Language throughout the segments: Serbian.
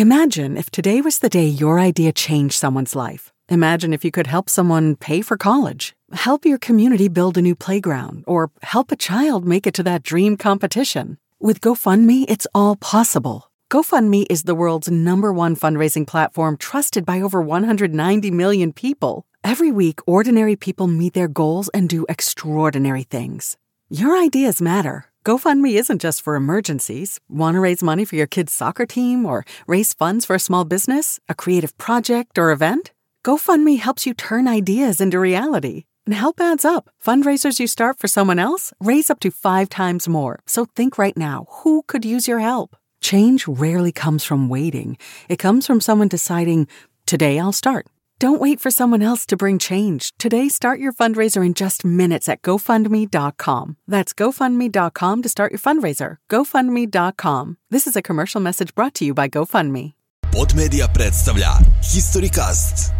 Imagine if today was the day your idea changed someone's life. Imagine if you could help someone pay for college, help your community build a new playground, or help a child make it to that dream competition. With GoFundMe, it's all possible. GoFundMe is the world's #1 fundraising platform trusted by over 190 million people. Every week, ordinary people meet their goals and do extraordinary things. Your ideas matter. GoFundMe isn't just for emergencies. Want to raise money for your kid's soccer team or raise funds for a small business, a creative project, or event? GoFundMe helps you turn ideas into reality. And help adds up. Fundraisers you start for someone else raise up to 5 times more. So think right now, who could use your help? Change rarely comes from waiting. It comes from someone deciding, today I'll start. Don't wait for someone else to bring change. Today, start your fundraiser in just minutes at GoFundMe.com. That's GoFundMe.com to start your fundraiser. GoFundMe.com. This is a commercial message brought to you by GoFundMe. Podmedia predstavlja Historycast.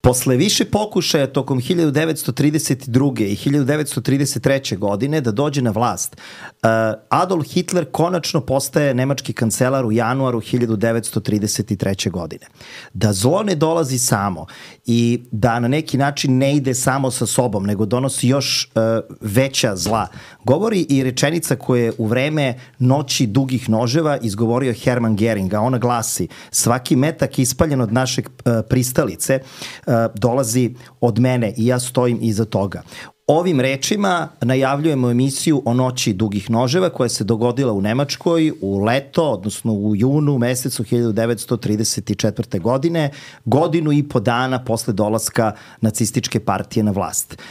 Posle više pokušaja tokom 1932. i 1933. godine da dođe na vlast, Adolf Hitler konačno postaje nemački kancelar u januaru 1933. godine. Da zlo ne dolazi samo i da na neki način ne ide samo sa sobom, nego donosi još veća zla, govori i rečenica koja je u vreme Noći dugih noževa izgovorio Hermann Göring, a ona glasi: svaki metak ispaljen od našeg pristalice dolazi od mene i ja stojim iza toga. Ovim rečima najavljujemo emisiju o Noći dugih noževa koja se dogodila u Nemačkoj u leto, odnosno u junu mesecu 1934. godine, godinu i po dana posle dolaska nacističke partije na vlast.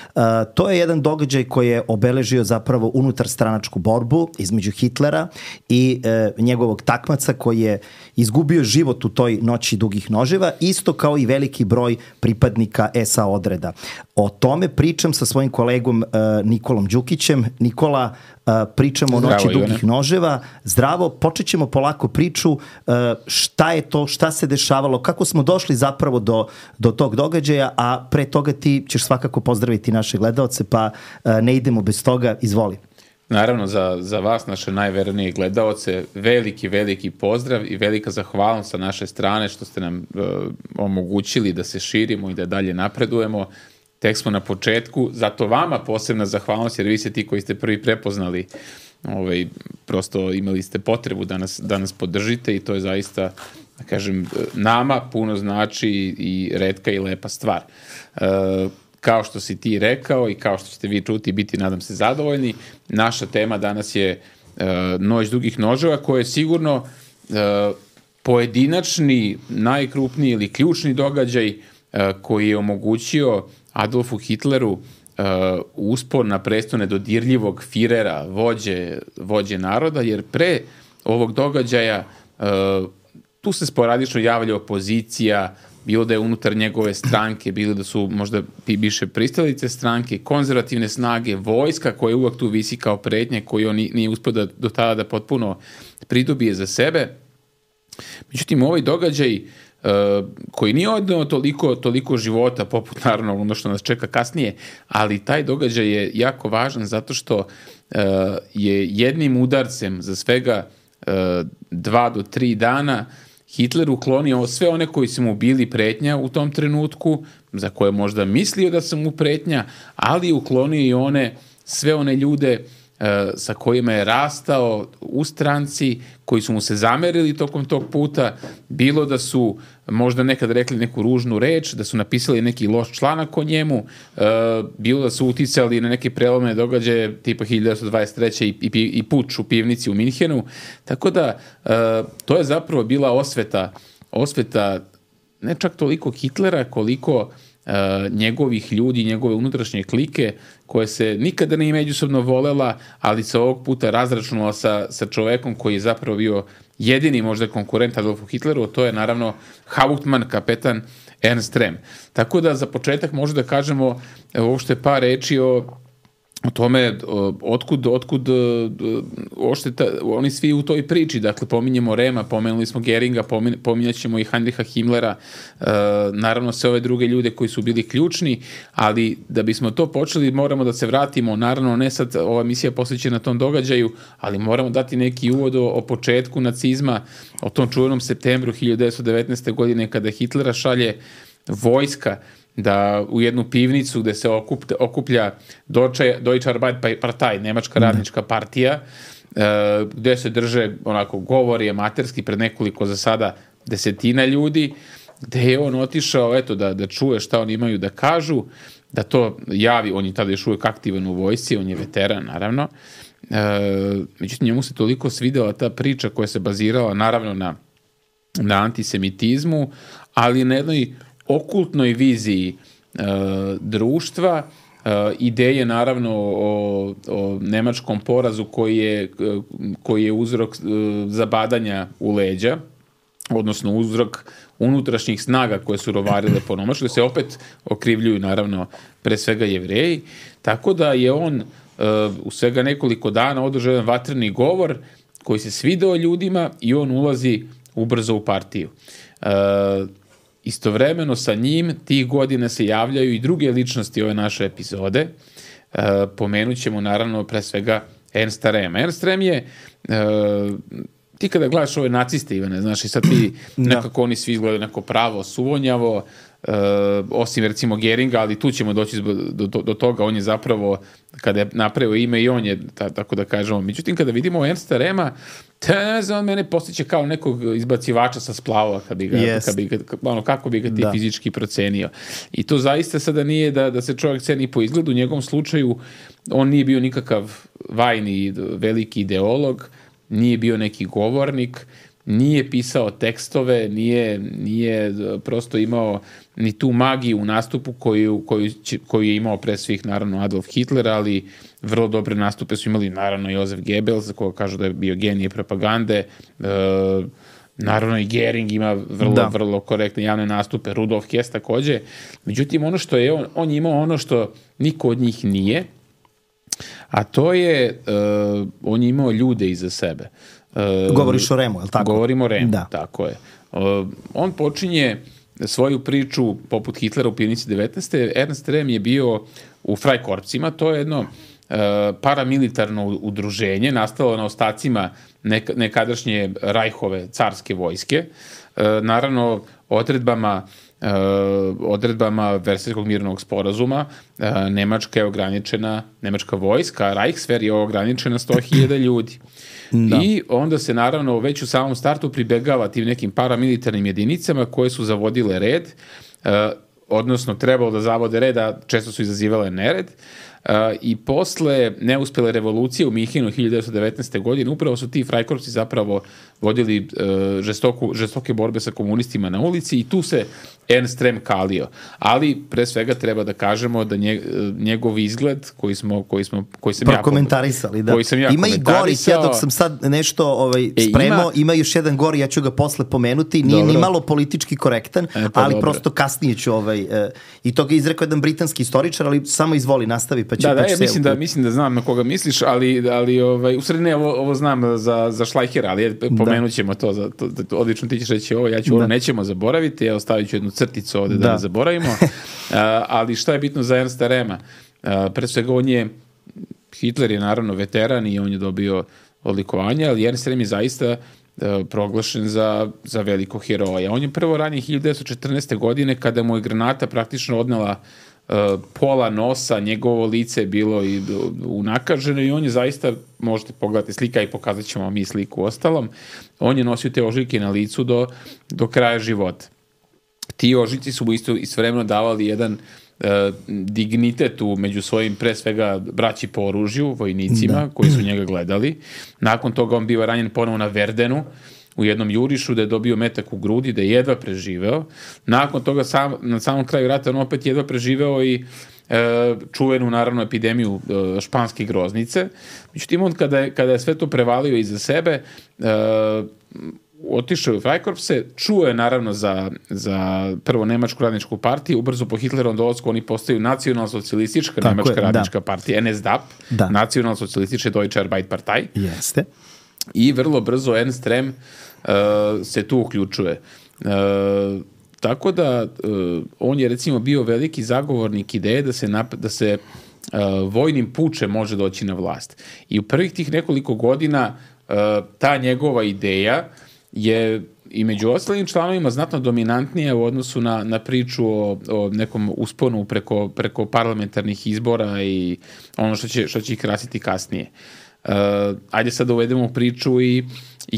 To je jedan događaj koji je obeležio zapravo unutarstranačku borbu između Hitlera i njegovog takmaca koji je izgubio život u toj Noći dugih noževa, isto kao i veliki broj pripadnika SA odreda. O tome pričam sa svojim kolegom Nikolom Đukićem. Nikola, pričamo o Noći dugih noževa. Zdravo, počet ćemo polako priču. Šta je to, šta se dešavalo, kako smo došli zapravo do tog događaja, a pre toga ti ćeš svakako pozdraviti naše gledaoce, pa ne idemo bez toga, izvoli. Naravno, za vas, naše najvernije gledaoce, veliki pozdrav i velika zahvalnost sa naše strane što ste nam omogućili da se širimo i da dalje napredujemo. Tek smo na početku, zato vama posebna zahvalnost, jer vi ste ti koji ste prvi prepoznali, prosto imali ste potrebu da nas podržite i to je zaista, da kažem, nama puno znači i retka i lepa stvar. Kao što si ti rekao i kao što ćete vi čuti, biti, nadam se, zadovoljni, naša tema danas je Noć dugih noževa, koja je sigurno pojedinačni, najkrupniji ili ključni događaj koji je omogućio Adolfu Hitleru uspon na presto nedodirljivog Firera, vođe naroda, jer pre ovog događaja tu se sporadično javlja opozicija, bilo da je unutar njegove stranke, bilo da su možda više pristalice stranke, konzervativne snage, vojska koja uvek tu visi kao pretnje, koju on nije uspio do tada da potpuno pridobije za sebe. Međutim, ovaj događaj koji nije odneo toliko života, poput naravno ono što nas čeka kasnije, ali taj događaj je jako važan zato što je jednim udarcem za svega 2 do 3 dana Hitler uklonio sve one koji su mu bili pretnja u tom trenutku, za koje možda mislio da su mu pretnja, ali uklonio i sve one ljude sa kojima je rastao u stranci, koji su mu se zamerili tokom tog puta, bilo da su možda nekad rekli neku ružnu reč, da su napisali neki loš članak o njemu, bilo da su uticali na neke prelomne događaje tipa 1923. i puč u pivnici u Minhenu. Tako da to je zapravo bila osveta ne čak toliko Hitlera, koliko njegovih ljudi, njegove unutrašnje klike, koje se nikada nije međusobno volela, ali se ovog puta razračunala sa čovekom koji je zapravo bio jedini možda konkurent Adolfu Hitleru, to je naravno Hauptmann, kapetan Ernst Röhm. Tako da za početak možda da kažemo uopšte par reči o o tome otkud ošteta, oni svi u toj priči, dakle pominjemo Rema, pomenuli smo Geringa, pominjat ćemo i Heinricha Himmlera, naravno sve ove druge ljude koji su bili ključni, ali da bismo to počeli moramo da se vratimo, naravno ne sad ova emisija posvećena tom događaju, ali moramo dati neki uvod o početku nacizma, o tom čuvenom septembru 1919. godine kada Hitlera šalje vojska da u jednu pivnicu gde se okuplja Deutsche Arbeiterpartei, Nemačka radnička partija, gde se drže onako govori amaterski pred nekoliko za sada desetina ljudi, gde je on otišao eto da čuje šta oni imaju da kažu, da to javi, on je tada još uvijek aktivan u vojsci, on je veteran naravno, međutim njemu se toliko svidela ta priča koja se bazirala naravno na antisemitizmu, ali na jednoj okultnoj viziji društva, ideje naravno o nemačkom porazu koji je uzrok zabadanja u leđa, odnosno uzrok unutrašnjih snaga koje su rovarile po Nemačkoj, se opet okrivljuju naravno pre svega Jevreji, tako da je on u svega nekoliko dana održao jedan vatreni govor koji se svidao ljudima i on ulazi ubrzo u partiju. Istovremeno sa njim tih godina se javljaju i druge ličnosti ove naše epizode. Pomenut ćemo naravno pre svega Ernsta Rema. Ernst Rem je, ti kada gledaš ove naciste, Ivane, znaš, i sad ti nekako oni svi izgledaju neko pravo suvonjavo, osim recimo Geringa, ali tu ćemo doći do toga, on je zapravo, kada je napravio ime i on je, tako da kažemo, međutim kada vidimo Ernsta Rema, on mene postiće kao nekog izbacivača sa splavova, kako bi ga ti fizički procenio. I to zaista sada nije da se čovjek ceni po izgledu, u njegovom slučaju on nije bio nikakav vajni veliki ideolog, nije bio neki govornik, nije pisao tekstove, nije prosto imao ni tu magiju u nastupu koju je imao pre svih naravno Adolf Hitler, ali vrlo dobre nastupe su imali naravno Josef Goebbels, za koga kažu da je bio genije propagande, naravno i Gering ima vrlo korektne javne nastupe, Rudolf Hess takođe. Međutim, ono što je on je imao ono što niko od njih nije, a to je on je imao ljude iza sebe. Govoriš o Remu, je li tako? Govorimo o Remu, tako je. On počinje svoju priču poput Hitlera u pivnici 19. Ernst Rem je bio u Freikorpsima, to je jedno paramilitarno udruženje, nastalo na ostacima nekadašnje Reichove carske vojske. Naravno, odredbama Versajskog mirnog sporazuma Nemačka vojska, Reichswehr je ograničena 100.000 ljudi. I onda se naravno već u samom startu pribegava tim nekim paramilitarnim jedinicama koje su zavodile red, odnosno trebalo da zavode red, a često su izazivale nered. I posle neuspele revolucije u Minhenu 1919. godine upravo su ti Freikorpsi zapravo vodili žestoke borbe sa komunistima na ulici i tu se Ernst Rem kalio. Ali pre svega treba da kažemo da njegov izgled koji sam ja komentarisali, da. Ima i gori, ja dok sam sad nešto spremao, ima još jedan gori, ja ću ga posle pomenuti, nije ni malo politički korektan, ali prosto kasnije ću i to ga izrekao jedan britanski istoričar, ali samo izvoli, nastavi. Mislim da znam na koga misliš, ali u sred ne, ovo znam za Schleichera, ali pomenut ćemo to, odlično ti ćeš reći ovo, ja ću ovo nećemo zaboraviti, evo stavit ću jednu crticu ovde da ne zaboravimo, ali šta je bitno za Ernsta Rema? Pre svega Hitler je naravno veteran i on je dobio odlikovanje, ali Ernst Rem je zaista proglašen za velikog heroja. On je prvo ranije 1914. godine kada mu je granata praktično odnela pola nosa, njegovo lice je bilo i unakaženo i on je zaista, možete pogledati slika i pokazat ćemo mi sliku ostalom, on je nosio te ožiljke na licu do kraja života. Ti ožiljci su mu istovremeno davali jedan dignitet među svojim pre svega braći po oružju, vojnicima koji su njega gledali. Nakon toga on bio ranjen ponovo na Verdenu u jednom jurišu da je dobio metak u grudi, da je jedva preživeo. Nakon toga na samom kraju rata on opet jedva preživeo i čuvenu naravno epidemiju španske groznice. Međutim, on kada je sve to prevalio iza sebe, otišao u Freikorpse, čuo je naravno za prvo Nemačku radničku partiju, ubrzo po Hitlerovom dolasku oni postaju nacionalsocijalistička Nemačka radnička partija, NSDAP, nacionalsocijalističke Deutsche Arbeiterpartei. Jeste. I vrlo brzo Ernst Röhm se tu uključuje. Tako da on je recimo bio veliki zagovornik ideje da se vojnim pučem može doći na vlast. I u prvih tih nekoliko godina ta njegova ideja je i među ostalim članovima znatno dominantnija u odnosu na priču o nekom usponu preko parlamentarnih izbora i ono što će ih krasiti kasnije. Ajde sad da uvedemo u priču i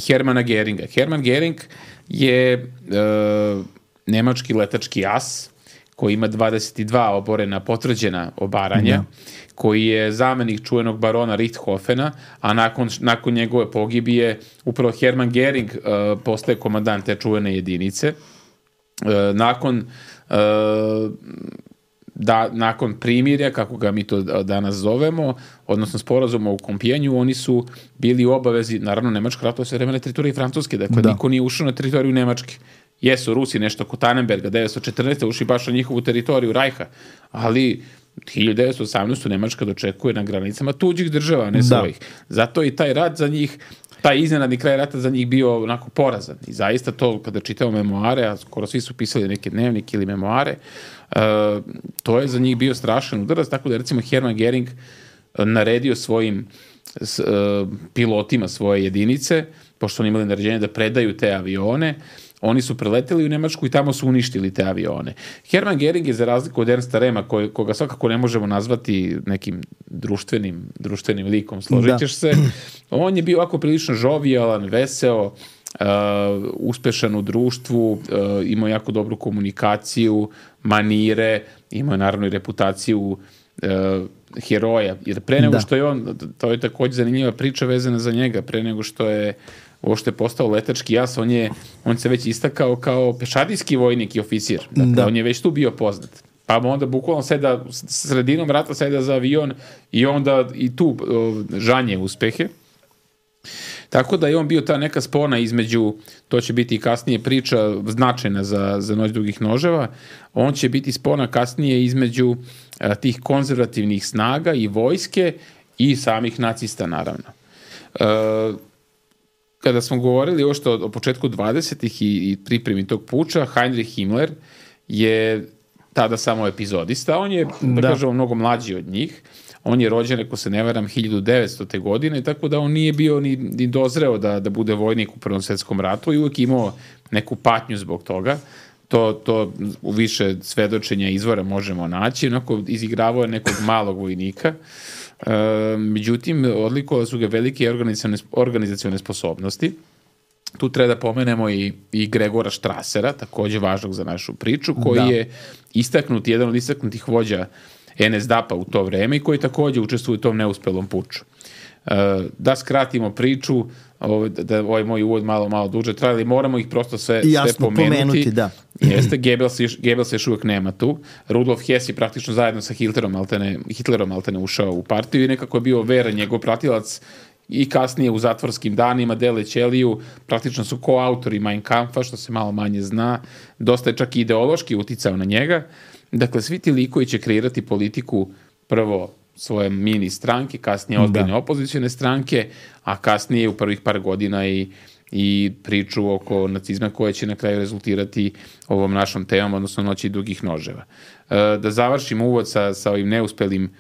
Hermana Geringa. Hermann Gering je nemački letački as koji ima 22 oborena potvrđena obaranja, koji je zamenik čuvenog barona Richthofena, a nakon njegove pogibije upravo Hermann Gering postaje komandant te čuvene jedinice. Nakon primirja, kako ga mi to danas zovemo, odnosno sporazuma u Kompijenju, oni su bili u obavezi, naravno Nemačka ratova sve vreme na teritoriji Francuske, dakle niko nije ušao na teritoriju Nemačke. Jesu Rusi nešto oko Tannenberga, 1914. ušli baš na njihovu teritoriju Rajha, ali 1918. Nemačka dočekuje na granicama tuđih država, ne svojih. Zato i taj rat za njih, taj iznenadni kraj rata za njih bio onako porazan. I zaista to, kada čitamo memoare, a skoro svi su pisali neke dnevnike ili memoare, to je za njih bio strašan udarac, tako da recimo Hermann Gering naredio svojim pilotima svoje jedinice, pošto oni imali naređenje da predaju te avione, oni su preleteli u Nemačku i tamo su uništili te avione. Hermann Gering je, za razliku od Ernsta Röhma, koga svakako ne možemo nazvati nekim društvenim likom, složit ćeš se, on je bio ovako prilično žovijalan, veseo, uspešan u društvu, imao jako dobru komunikaciju, manire, imao je naravno i reputaciju heroja. Jer pre nego što je on, to je također zanimljiva priča vezana za njega, pre nego što je uopšte postao letački as, on se već istakao kao pešadijski vojnik i oficir. Dakle, on je već tu bio poznat. Pa onda bukvalno sredinom rata seda za avion i onda i tu žanje uspehe. Tako da je on bio ta neka spona između, to će biti kasnije priča značajna za Noć dugih noževa, on će biti spona kasnije između tih konzervativnih snaga i vojske i samih nacista, naravno. Kada smo govorili još o početku 20. i pripremi tog puča, Heinrich Himmler je tada samo epizodista. On je, da kažemo, mnogo mlađi od njih. On je rođen, ako se ne varam, 1900. godine, tako da on nije bio ni dozreo da bude vojnik u Prvom svjetskom ratu i uvijek imao neku patnju zbog toga. To u više svedočenja izvora možemo naći. Onako izigravao je nekog malog vojnika. Međutim, odlikovali su ga velike organizacione sposobnosti. Tu treba da pomenemo i Gregora Strassera, također važnog za našu priču, koji je jedan od istaknutih vođa NSDAP-a u to vreme i koji također učestvuje u tom neuspelom puču. Da skratimo priču, da ovaj moj uvod malo duže traje, ali moramo ih prosto sve pomenuti. Jeste, Goebbels još uvijek nema tu. Rudolf Hess je praktično zajedno sa Hitlerom maltene ušao u partiju i nekako je bio veran njegov pratilac i kasnije u zatvorskim danima dele ćeliju, praktično su koautori Mein Kampfa, što se malo manje zna, dosta je čak i ideološki uticao na njega. Dakle, svi ti likovi će kreirati politiku prvo svoje mini stranke, kasnije ozbiljne opozicione stranke, a kasnije u prvih par godina i priču oko nacizma koja će na kraju rezultirati ovom našom temom, odnosno Noći dugih noževa. Da završim uvod sa ovim neuspelim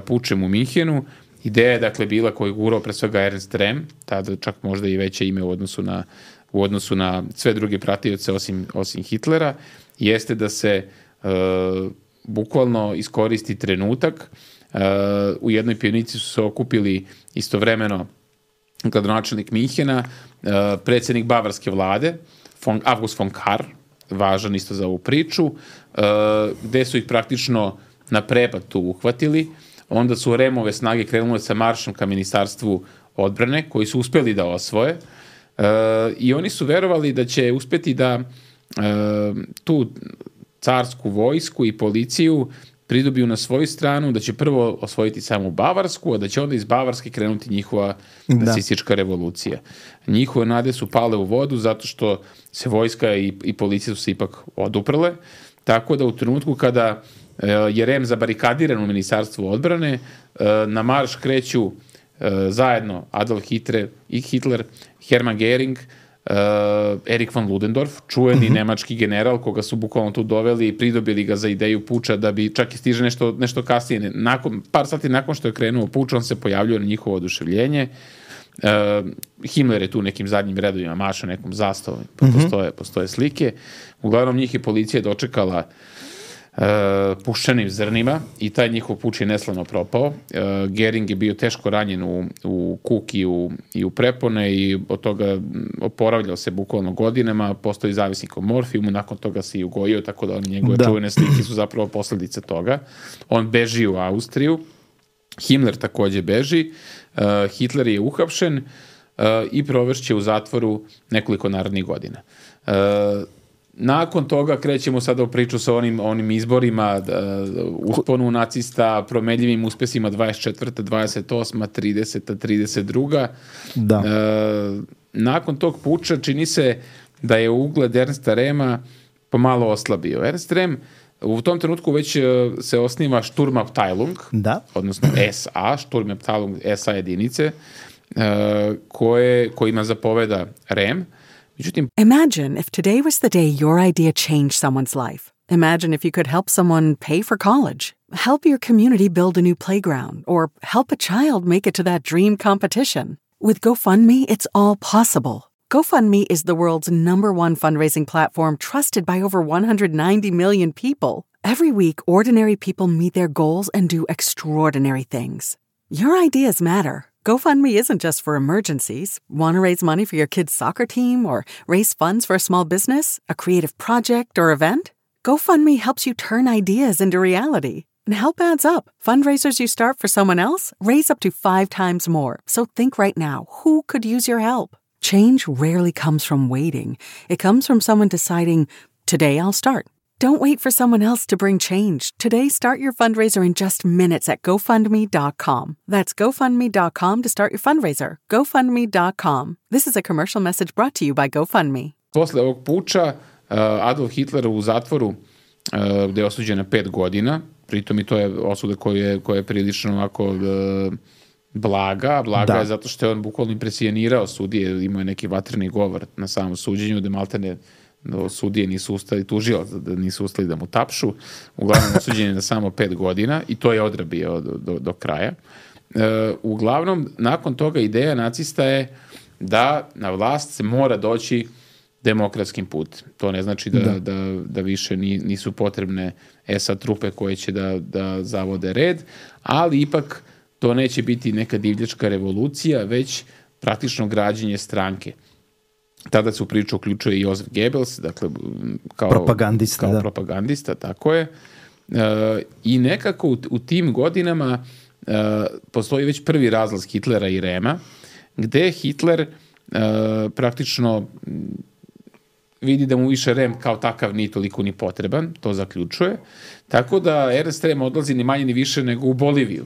pučem u Minhenu. Ideja je dakle bila koju je gurao pre svega Ernst Röhm, tada čak možda i veće ime u odnosu na sve druge pratioce osim Hitlera, jeste da se bukvalno iskoristi trenutak. U jednoj pionici su se okupili istovremeno gradonačelnik Minhena, predsjednik bavarske vlade, August von Kahr, važan isto za ovu priču, gde su ih praktično na prepad tu uhvatili. Onda su Röhmove snage krenule sa maršom ka ministarstvu odbrane, koji su uspjeli da osvoje. I oni su verovali da će uspjeti da tu carsku vojsku i policiju pridobiju na svoju stranu, da će prvo osvojiti samu Bavarsku, a da će onda iz Bavarske krenuti njihova nacistička revolucija. Njihove nade su pale u vodu zato što se vojska i policija su se ipak oduprle, tako da u trenutku kada je Rem zabarikadiran u Ministarstvu odbrane, na marš kreću zajedno Adolf Hitler, Hermann Göring, Erich von Ludendorff, čuveni nemački general koga su bukvalno tu doveli i pridobili ga za ideju puča da bi čak i stiže nešto kasnije. Par sati nakon što je krenuo puč, on se pojavljuje na njihovo oduševljenje. Himmler je tu nekim zadnjim redovima mašao nekom zastavom, postoje slike. Uglavnom njih je policija dočekala puščanim zrnima i taj njihov puč je neslavno propao. Göring je bio teško ranjen u kuk i u prepone i od toga oporavljao se bukvalno godinama, postoji zavisnik o morfijumu, nakon toga se i ugojio, tako da njegove čuvene slike su zapravo posljedice toga. On beži u Austriju, Himmler takođe beži, Hitler je uhapšen i provešće u zatvoru nekoliko narednih godina. Nakon toga krećemo sada u priču sa onim izborima, usponu nacista, promenljivim uspesima 24. 28. 30. 32. Da. Nakon tog puča čini se da je ugled Ernsta Rema pomalo oslabio. Ernst Rem u tom trenutku već se osniva Sturmabteilung, odnosno SA, Sturmabteilung SA jedinice, kojima zapoveda Rem. Imagine if today was the day your idea changed someone's life. Imagine if you could help someone pay for college, help your community build a new playground, or help a child make it to that dream competition. With GoFundMe, it's all possible. GoFundMe is the world's #1 fundraising platform trusted by over 190 million people. Every week, ordinary people meet their goals and do extraordinary things. Your ideas matter. GoFundMe isn't just for emergencies. Want to raise money for your kid's soccer team or raise funds for a small business, a creative project, or event? GoFundMe helps you turn ideas into reality. And help adds up. Fundraisers you start for someone else raise up to 5 times more. So think right now, who could use your help? Change rarely comes from waiting. It comes from someone deciding, today I'll start. Don't wait for someone else to bring change. Today, start your fundraiser in just minutes at GoFundMe.com. That's GoFundMe.com to start your fundraiser. GoFundMe.com. This is a commercial message brought to you by GoFundMe. Posle ovog puča, Adolf Hitler u zatvoru, gde je osuđen na 5 godina, pritom i to je osuda koja je prilično ovako blaga je zato što je on bukvalno impresionirao sudije, imao je neki vatreni govor na samom suđenju, da maltene sudije nisu ustali, tužio da nisu ustali da mu tapšu. Uglavnom osuđen je na samo 5 godina i to je odrabio do kraja. Uglavnom, nakon toga ideja nacista je da na vlast se mora doći demokratskim putem. To ne znači da više nisu potrebne SA trupe koje će da zavode red, ali ipak to neće biti neka divljačka revolucija, već praktično građenje stranke. Tada se u priču uključuje i Josef Goebbels, dakle, kao propagandista, tako je. I nekako u tim godinama postoji već prvi razlaz Hitlera i Rema, gde Hitler praktično vidi da mu više Rem kao takav ni toliko ni potreban, to zaključuje, tako da Ernst Rem odlazi ni manje ni više nego u Boliviju.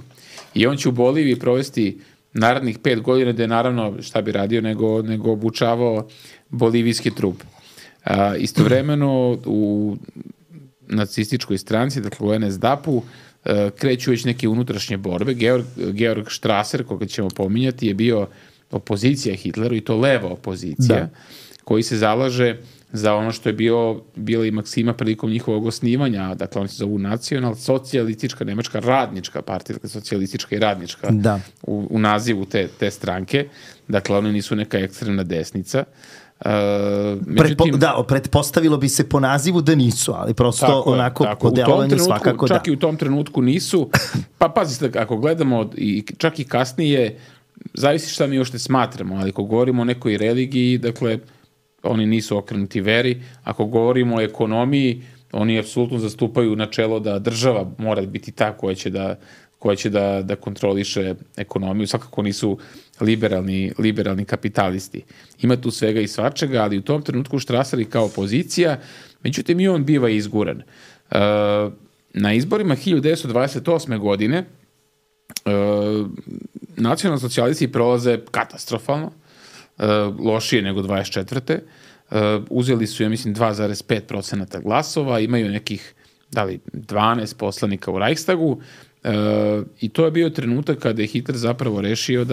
I on će u Boliviji provesti narednih 5 godina, da je naravno, šta bi radio, nego obučavao bolivijski trup. Istovremeno u nacističkoj stranci, dakle u NSDAP-u, kreću već neke unutrašnje borbe. Georg Strasser, koga ćemo pominjati, je bio opozicija Hitleru, i to leva opozicija, koji se zalaže za ono što je bila i maksima prilikom njihovog osnivanja, dakle oni se zovu nacional, socijalistička, nemačka radnička partija, dakle socijalistička i radnička u nazivu te stranke, dakle oni nisu neka ekstremna desnica. Pretpostavilo bi se po nazivu da nisu, ali prosto onako po delovanju svakako da. Čak i u tom trenutku nisu, pa pazite, ako gledamo čak i kasnije, zavisi šta mi još ne smatramo, ali ako govorimo o nekoj religiji, dakle, oni nisu okrenuti veri. Ako govorimo o ekonomiji, oni apsolutno zastupaju načelo da država mora biti ta koja će da kontroliše ekonomiju. Svakako nisu liberalni kapitalisti. Ima tu svega i svačega, ali u tom trenutku Strasser kao opozicija, međutim i on biva izguran. na izborima 1928. godine nacionalni socijalisti prolaze katastrofalno, lošije nego 24. Uzeli su, ja mislim, 2,5% glasova, imaju nekih, 12 poslanika u Reichstagu, i to je bio trenutak kada je Hitler zapravo rešio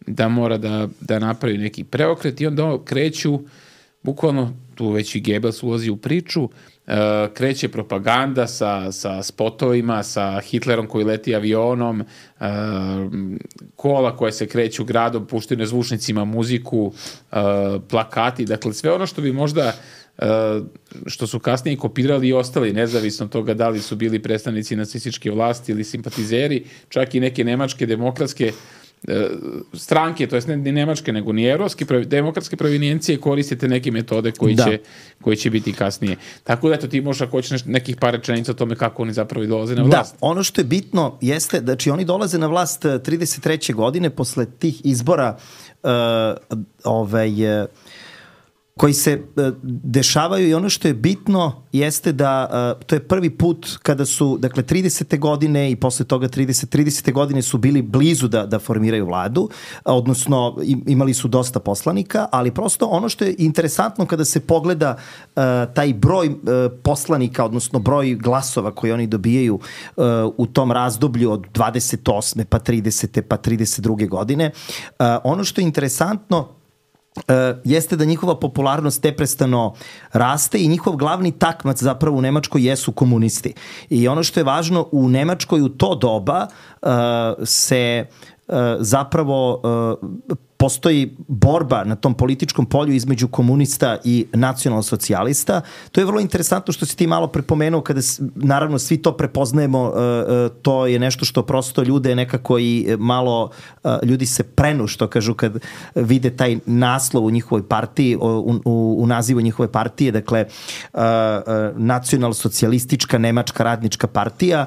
da mora da napravi neki preokret i onda kreću, bukvalno, tu već i Goebbels ulazi u priču, kreće propaganda sa spotovima, sa Hitlerom koji leti avionom, kola koje se kreću gradom, puštaju na zvučnicima muziku, plakati, dakle sve ono što bi možda što su kasnije kopirali i ostali, nezavisno od toga da li su bili predstavnici nacističke vlasti ili simpatizeri, čak i neke nemačke demokratske stranke, to jest ne nemačke, nego ni evropske demokratske provenijencije, koristite neke metode koji će biti kasnije. Tako da, eto, ti možeš, ako hoćeš nekih par rečenica o tome kako oni zapravo dolaze na vlast. Da, ono što je bitno jeste, znači oni dolaze na vlast 33. godine posle tih izbora koji se dešavaju, i ono što je bitno jeste da to je prvi put kada su, dakle, 30. godine i posle toga 30. godine su bili blizu da formiraju vladu, odnosno imali su dosta poslanika, ali prosto ono što je interesantno kada se pogleda taj broj poslanika, odnosno broj glasova koji oni dobijaju u tom razdoblju od 28. pa 30. pa 32. godine, ono što je interesantno jeste da njihova popularnost neprestano raste i njihov glavni takmac zapravo u Nemačkoj jesu komunisti. I ono što je važno, u Nemačkoj u to doba se zapravo postoji borba na tom političkom polju između komunista i nacionalsocijalista. To je vrlo interesantno što si ti malo prepomenuo, kada naravno svi to prepoznajemo, to je nešto što prosto ljude nekako i malo, ljudi se prenu, što kažu, kad vide taj naslov u njihovoj partiji, u nazivu njihove partije, dakle nacionalsocijalistička nemačka radnička partija.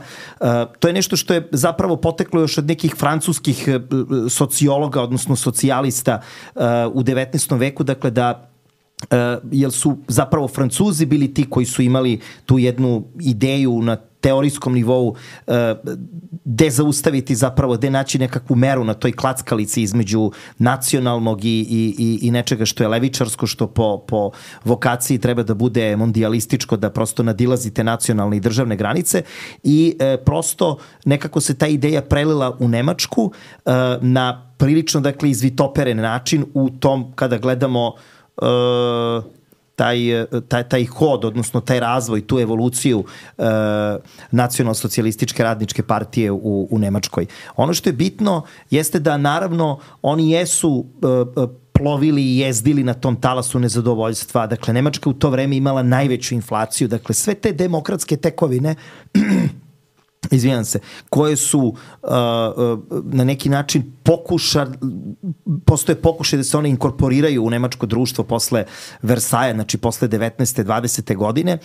To je nešto što je zapravo poteklo još od nekih francuskih sociologa, odnosno socijalista u 19. veku, dakle da jer su zapravo Francuzi bili ti koji su imali tu jednu ideju na teorijskom nivou gde zaustaviti zapravo, gde naći nekakvu meru na toj klackalici između nacionalnog i nečega što je levičarsko, što po vokaciji treba da bude mondijalističko, da prosto nadilazite nacionalne i državne granice, i prosto nekako se ta ideja prelila u Nemačku na prilično, dakle, izvitoperen način u tom, kada gledamo taj hod, odnosno taj razvoj, tu evoluciju nacionalsocijalističke radničke partije u Nemačkoj. Ono što je bitno jeste da naravno oni jesu plovili i jezdili na tom talasu nezadovoljstva. Dakle, Nemačka u to vreme imala najveću inflaciju. Dakle, sve te demokratske tekovine izvinjam se, koje su na neki način postoje pokušaj da se one inkorporiraju u nemačko društvo posle Versaja, znači posle 19. 20. godine.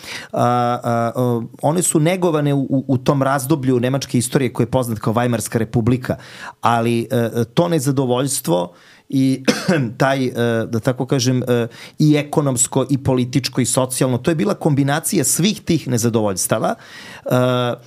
One su negovane u tom razdoblju nemačke istorije koje je poznat kao Weimarska republika, ali to nezadovoljstvo i taj, da tako kažem, i ekonomsko, i političko, i socijalno, to je bila kombinacija svih tih nezadovoljstava.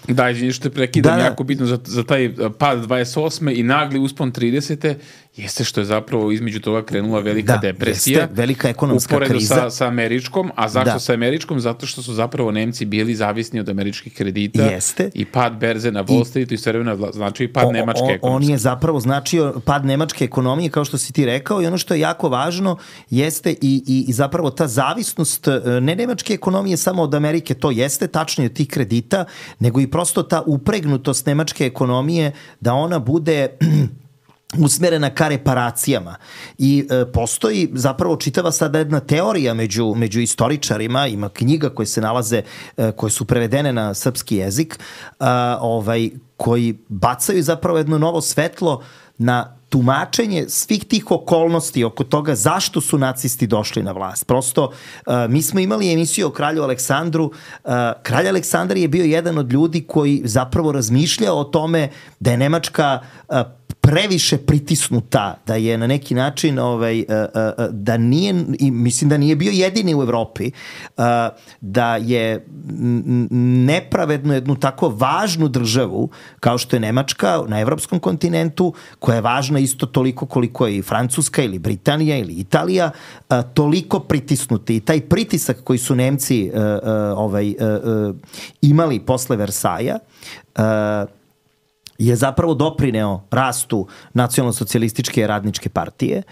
Da, izvini što te prekidam, jako bitno za taj pad 28. i nagli uspon 30. jeste što je zapravo između toga krenula velika depresija. Jeste, velika ekonomska kriza. Uporedo sa američkom, a zašto sa američkom? Zato što su zapravo Nemci bili zavisni od američkih kredita. Jeste. I pad berze na Wall Streetu i sve vremena znači i pad nemačke ekonomije. On je zapravo značio pad nemačke ekonomije, kao što si ti rekao, i ono što je jako važno jeste i zapravo ta zavisnost ne nemačke ekonomije samo od Amerike, to jeste tačno od tih kredita, nego i prosto ta upregnutost nemačke ekonomije da ona bude usmerena ka reparacijama. I postoji zapravo čitava sada jedna teorija među istoričarima, ima knjiga koje se nalaze, koje su prevedene na srpski jezik, koji bacaju zapravo jedno novo svetlo na tumačenje svih tih okolnosti oko toga zašto su nacisti došli na vlast. Prosto, mi smo imali emisiju o kralju Aleksandru. Kralj Aleksandar je bio jedan od ljudi koji zapravo razmišljao o tome da je Nemačka previše pritisnuta, da je na neki način da nije, i mislim da nije bio jedini u Evropi, da je nepravedno jednu tako važnu državu kao što je Nemačka na evropskom kontinentu, koja je važna isto toliko koliko je i Francuska ili Britanija ili Italija, toliko pritisnuti. I taj pritisak koji su Nemci imali posle Versaja je zapravo doprineo rastu nacionalno-socijalističke radničke partije.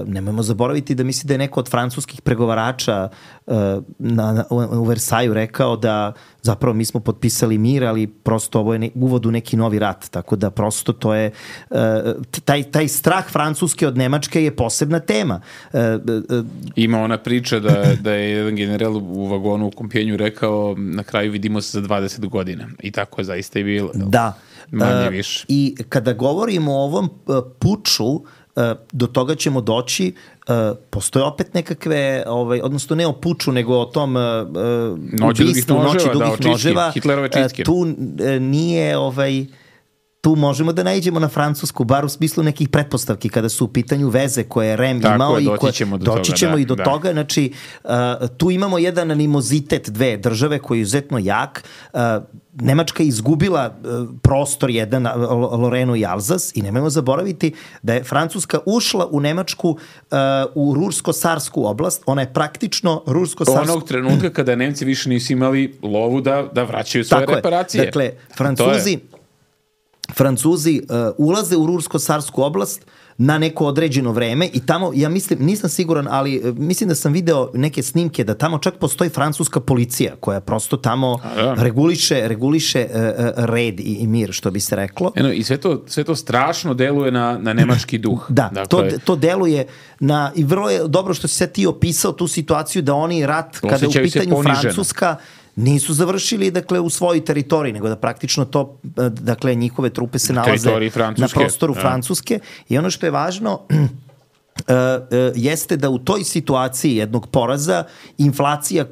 Nemojmo zaboraviti da misli da je neko od francuskih pregovarača u Versaju rekao da zapravo mi smo potpisali mir, ali prosto ovo je uvod u neki novi rat, tako da prosto to je taj strah Francuske od Nemačke je posebna tema. Ima ona priča da je jedan general u vagonu u Kompijenju rekao na kraju vidimo se za 20 godina i tako je zaista i bilo. Da. Manje više. I kada govorimo o ovom puču, do toga ćemo doći, postoje opet nekakve, odnosno ne o puču, nego o tom ubistvu noći dugih noževa. Hitlerove čistke. Tu nije, tu možemo da naiđemo na Francusku, bar u smislu nekih pretpostavki, kada su u pitanju veze koje je REM imao. Doći ćemo i do toga. Znači, tu imamo jedan animozitet dve države koji je izuzetno jak. Nemačka je izgubila prostor jedan, Lorenu i Alzas, i nemojmo zaboraviti da je Francuska ušla u Nemačku u Rursko-Sarsku oblast. Ona je praktično Rursko-Sarsku... Onog trenutka kada Nemci više nisu imali lovu da vraćaju svoje reparacije. Dakle, Francuzi ulaze u Rursko-Sarsku oblast na neko određeno vreme i tamo, ja mislim, nisam siguran, ali mislim da sam video neke snimke da tamo čak postoji francuska policija koja prosto tamo reguliše red i mir, što bi se reklo. I sve to strašno deluje na nemački duh. Da, dakle, to deluje na, i vrlo je dobro što si sad ti opisao tu situaciju da oni rat, kada je u pitanju Francuska, nisu završili, dakle, u svojoj teritoriji, nego da praktično to, dakle, njihove trupe se nalaze na prostoru Francuske. I ono što je važno jeste da u toj situaciji jednog poraza, inflacija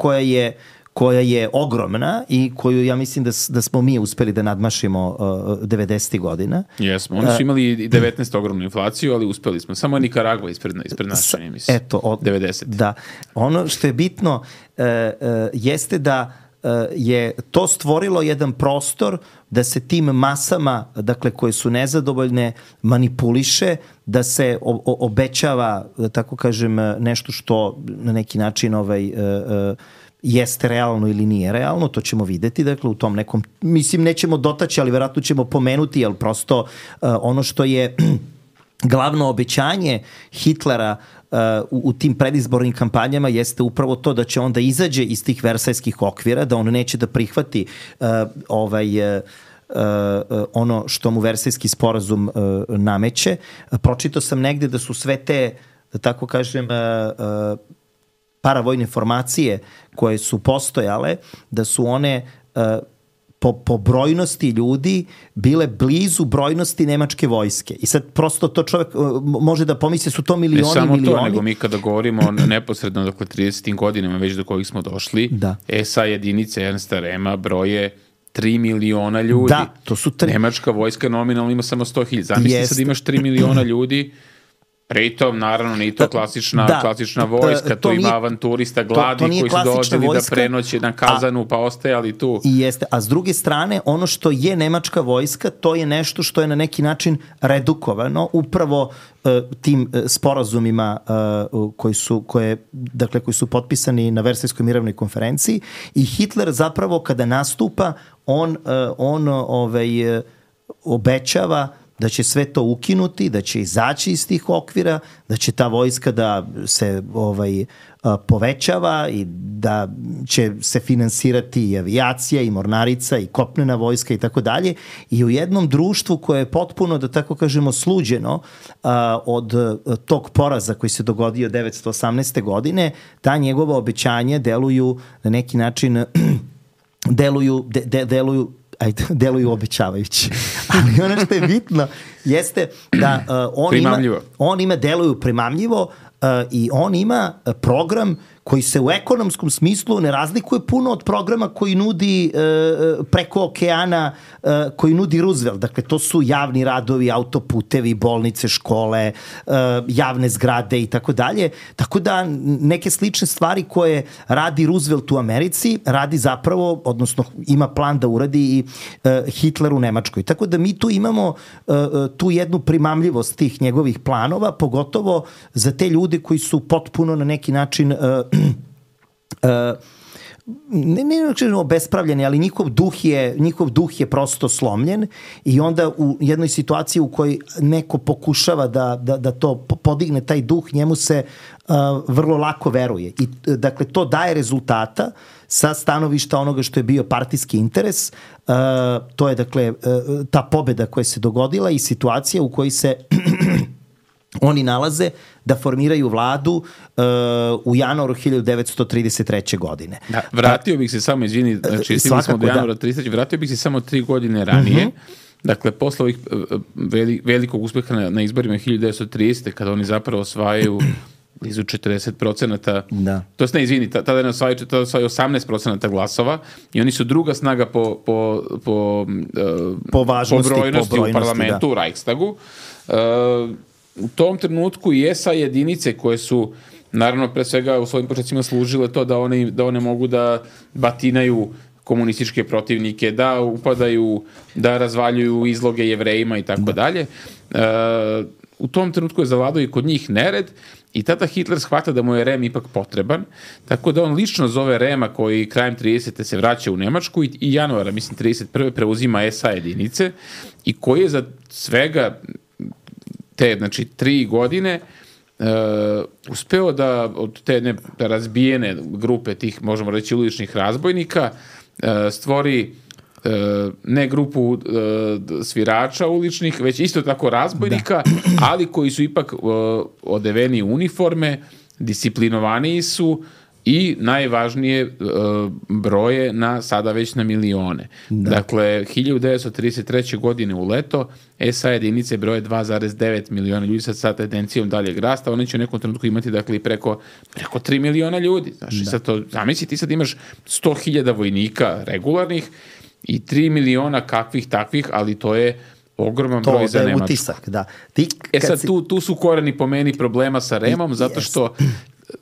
koja je ogromna i koju ja mislim da smo mi uspeli da nadmašimo 90. godina. Jesmo, oni su imali i 19 ogromnu inflaciju, ali uspeli smo. Samo Nikaragva ispred naše, mislim. Eto, 90. Da. Ono što je bitno jeste da je to stvorilo jedan prostor da se tim masama, dakle, koje su nezadovoljne, manipuliše, da se obećava, da tako kažem, nešto što na neki način jeste realno ili nije realno, to ćemo videti, dakle, u tom nekom, mislim, nećemo dotaći, ali verovatno ćemo pomenuti, jer prosto ono što je glavno obećanje Hitlera u tim predizbornim kampanjama jeste upravo to da će onda izađe iz tih versajskih okvira, da on neće da prihvati ono što mu Versajski sporazum nameće. Pročitao sam negde da su sve te, da tako kažem, paravojne formacije koje su postojale, da su one po brojnosti ljudi bile blizu brojnosti nemačke vojske. I sad prosto to čovjek može da pomisli su to milioni. Ne samo to, nego mi kada govorimo neposredno, dakle, 30. godinama već do kojih smo došli, SA jedinice Ernsta Rema broje 3 miliona ljudi. Da, to su Nemačka vojska nominalno ima samo 100.000. Zamisli sad imaš 3 miliona ljudi. Pritom, naravno, nije to klasična vojska, tu ima avanturista gladni koji su dođeli da prenoće na Kazanu pa ostajali tu. I jeste, a s druge strane, ono što je nemačka vojska, to je nešto što je na neki redukovano upravo tim sporazumima koji su potpisani na Versajskoj mirovnoj konferenciji, i Hitler zapravo kada nastupa, on obećava da će sve to ukinuti, da će izaći iz tih okvira, da će ta vojska da se povećava i da će se finansirati i avijacija i mornarica i kopnena vojska i tako dalje. I u jednom društvu koje je potpuno, da tako kažemo, sluđeno od tog poraza koji se dogodio 1918. godine, ta njegova obećanja deluju na neki način deluju obećavajući. Ali ono što je bitno jeste da deluju primamljivo i on ima program koji se u ekonomskom smislu ne razlikuje puno od programa koji nudi preko okeana, koji nudi Roosevelt. Dakle, to su javni radovi, autoputevi, bolnice, škole, javne zgrade i tako dalje. Tako da neke slične stvari koje radi Roosevelt u Americi, radi zapravo, odnosno ima plan da uradi i Hitler u Nemačkoj. Tako da mi tu imamo tu jednu primamljivost tih njegovih planova, pogotovo za te ljude koji su potpuno na neki način ne obespravljeni, ali njihov duh je prosto slomljen i onda u jednoj situaciji u kojoj neko pokušava da to podigne taj duh, njemu se vrlo lako veruje. I dakle, to daje rezultata sa stanovišta onoga što je bio partijski interes. To je dakle ta pobeda koja se dogodila i situacija u kojoj se oni nalaze da formiraju vladu u januaru 1933. godine. Da, vratio bih se samo, izvini, znači stigli smo do januara 33. Vratio bih se samo 3 godine ranije. Dakle, posle ovih velikog uspeha na izborima 1930. kada oni zapravo osvajaju blizu 40%. Da. To je, ne, izvini, tada je osvajaju 18% glasova i oni su druga snaga po brojnosti u parlamentu, u Reichstagu. U tom trenutku i SA jedinice koje su, naravno, pre svega u svojim početcima služile to da one mogu da batinaju komunističke protivnike, da upadaju, da razvaljuju izloge Jevrejima i tako dalje. U tom trenutku je zavladao i kod njih nered i tada Hitler shvata da mu je Rem ipak potreban, tako da on lično zove Rema koji krajem 30. se vraća u Nemačku i januara, mislim 31. preuzima SA jedinice i koji je za svega te, znači, 3 godine uspeo da od te razbijene grupe tih, možemo reći, uličnih razbojnika stvori ne grupu svirača uličnih, već isto tako razbojnika, ali koji su ipak odeveni uniforme, disciplinovaniji su i najvažnije broje sada već na milione. Dakle, 1933. godine u leto SA jedinice broje 2,9 miliona ljudi sa tendencijom daljeg rasta. Oni će u nekom trenutku imati, dakle, preko 3 miliona ljudi. Znači, sad to, zamisli, ti sad imaš 100.000 vojnika regularnih i 3 miliona kakvih takvih, ali to je ogroman broj za Nemačku. Utisak, da. Sad tu su koreni po meni problema sa Remom, zato što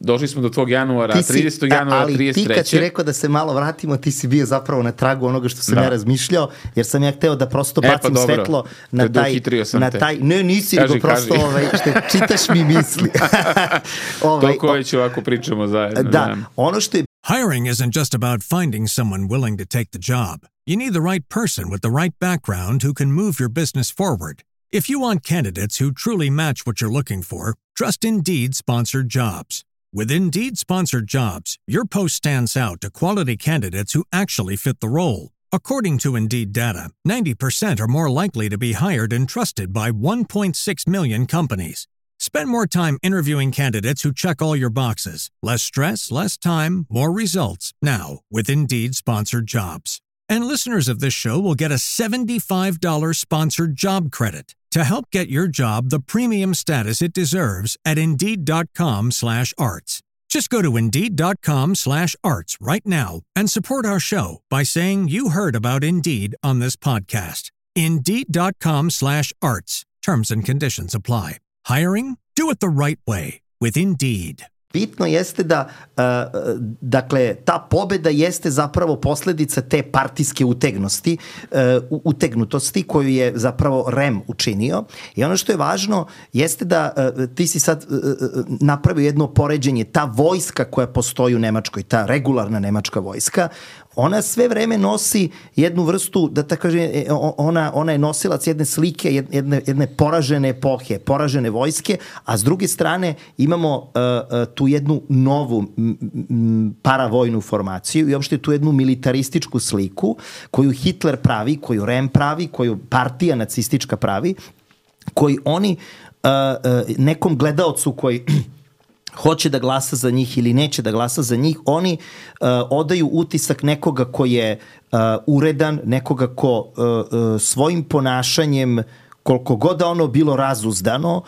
došli smo do tvog januara, 30. januara 33. Ali ti kad si rekao da se malo vratimo, ti si bio zapravo na tragu onoga što sam ja razmišljao, jer sam ja hteo da prosto bacim svetlo na taj... Ne, nisi, nego prosto čitaš mi misli. Toliko već ovako pričamo zajedno. Da, ono što je... Hiring isn't just about finding someone willing to take the job. You need the right person with the right background who can move your business forward. If you want candidates who truly match what you're looking for, trust Indeed Sponsored Jobs. With Indeed Sponsored Jobs, your post stands out to quality candidates who actually fit the role. According to Indeed data, 90% are more likely to be hired and trusted by 1.6 million companies. Spend more time interviewing candidates who check all your boxes. Less stress, less time, more results. Now, with Indeed Sponsored Jobs. And listeners of this show will get a $75 sponsored job credit to help get your job the premium status it deserves at Indeed.com/arts. Just go to Indeed.com/arts right now and support our show by saying you heard about Indeed on this podcast. Indeed.com/arts. Terms and conditions apply. Hiring? Do it the right way with Indeed. Bitno jeste da, dakle, ta pobeda jeste zapravo posledica te partijske utegnutosti koju je zapravo Rem učinio. I ono što je važno jeste da ti si sad napravio jedno poređenje, ta vojska koja postoji u Nemačkoj, ta regularna nemačka vojska, ona sve vreme nosi jednu vrstu, da tako kažem, ona je nosilac jedne slike, jedne poražene epohe, poražene vojske, a s druge strane imamo tu jednu novu paravojnu formaciju i uopšte tu jednu militarističku sliku koju Hitler pravi, koju Rem pravi, koju partija nacistička pravi, koji oni nekom gledaocu koji hoće da glasa za njih ili neće da glasa za njih, oni odaju utisak nekoga ko je uredan, nekoga ko svojim ponašanjem, koliko god da ono bilo razuzdano,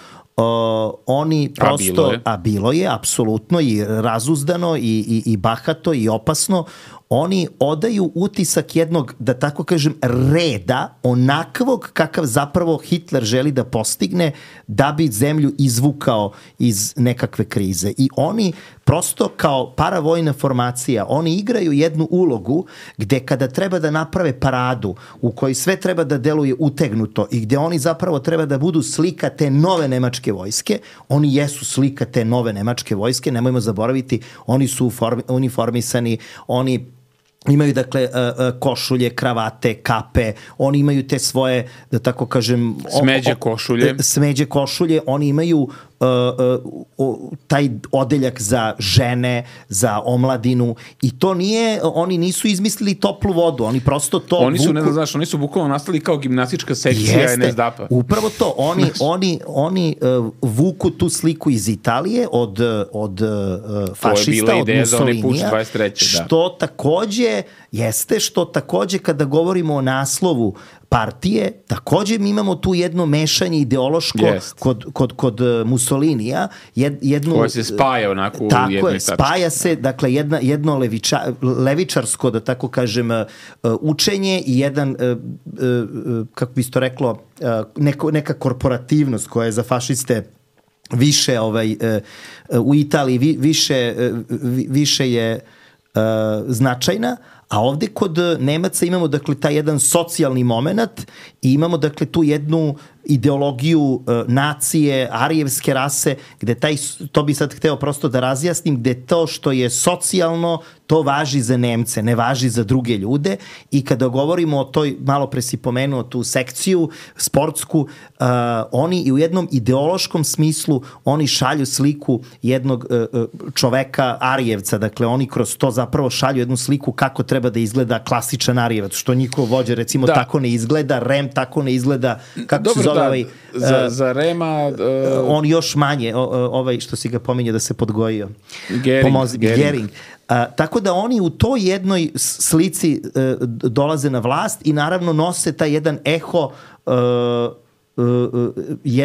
oni prosto, a bilo je apsolutno i razuzdano i bahato i opasno, oni odaju utisak jednog, da tako kažem, reda, onakvog kakav zapravo Hitler želi da postigne da bi zemlju izvukao iz nekakve krize. I oni prosto kao paravojna formacija, oni igraju jednu ulogu gde kada treba da naprave paradu u kojoj sve treba da deluje utegnuto i gde oni zapravo treba da budu slika te nove nemačke vojske, oni jesu slika te nove nemačke vojske, nemojmo zaboraviti, oni su uniformisani, oni imaju, dakle, košulje, kravate, kape, oni imaju te svoje, da tako kažem... Smeđe košulje, oni imaju taj odeljak za žene, za omladinu i to nije, oni nisu izmislili toplu vodu, oni prosto to oni su, ne znaš, oni su bukvalno nastali kao gimnastička sekcija NSDAP-a. Upravo to, oni vuku tu sliku iz Italije od fašista, od Mussolinija, što takođe jeste, što takođe kada govorimo o naslovu partije, takođe mi imamo tu jedno mešanje ideološko kod Mussolinija. Koje se spaja onako u jednoj tački. Spaja se, dakle, jedno levičarsko, da tako kažem, učenje i jedan, kako bi se to reklo, neka korporativnost koja je za fašiste više u Italiji više je značajna, a ovde kod Nemaca imamo, dakle, taj jedan socijalni moment i imamo, dakle, tu jednu ideologiju nacije, arijevske rase, gde to bi sad hteo prosto da razjasnim, gde to što je socijalno, to važi za Nemce, ne važi za druge ljude i kada govorimo o toj, malo pre si pomenuo tu sekciju sportsku, oni i u jednom ideološkom smislu, oni šalju sliku jednog čoveka arijevca, dakle oni kroz to zapravo šalju jednu sliku kako treba da izgleda klasičan arijevac, što njihov vođa recimo tako ne izgleda, Rem tako ne izgleda, kako se zove za Rema on još manje, što si ga pominjao da se podgojio. Gering. Tako da oni u toj jednoj slici dolaze na vlast i naravno nose taj jedan eho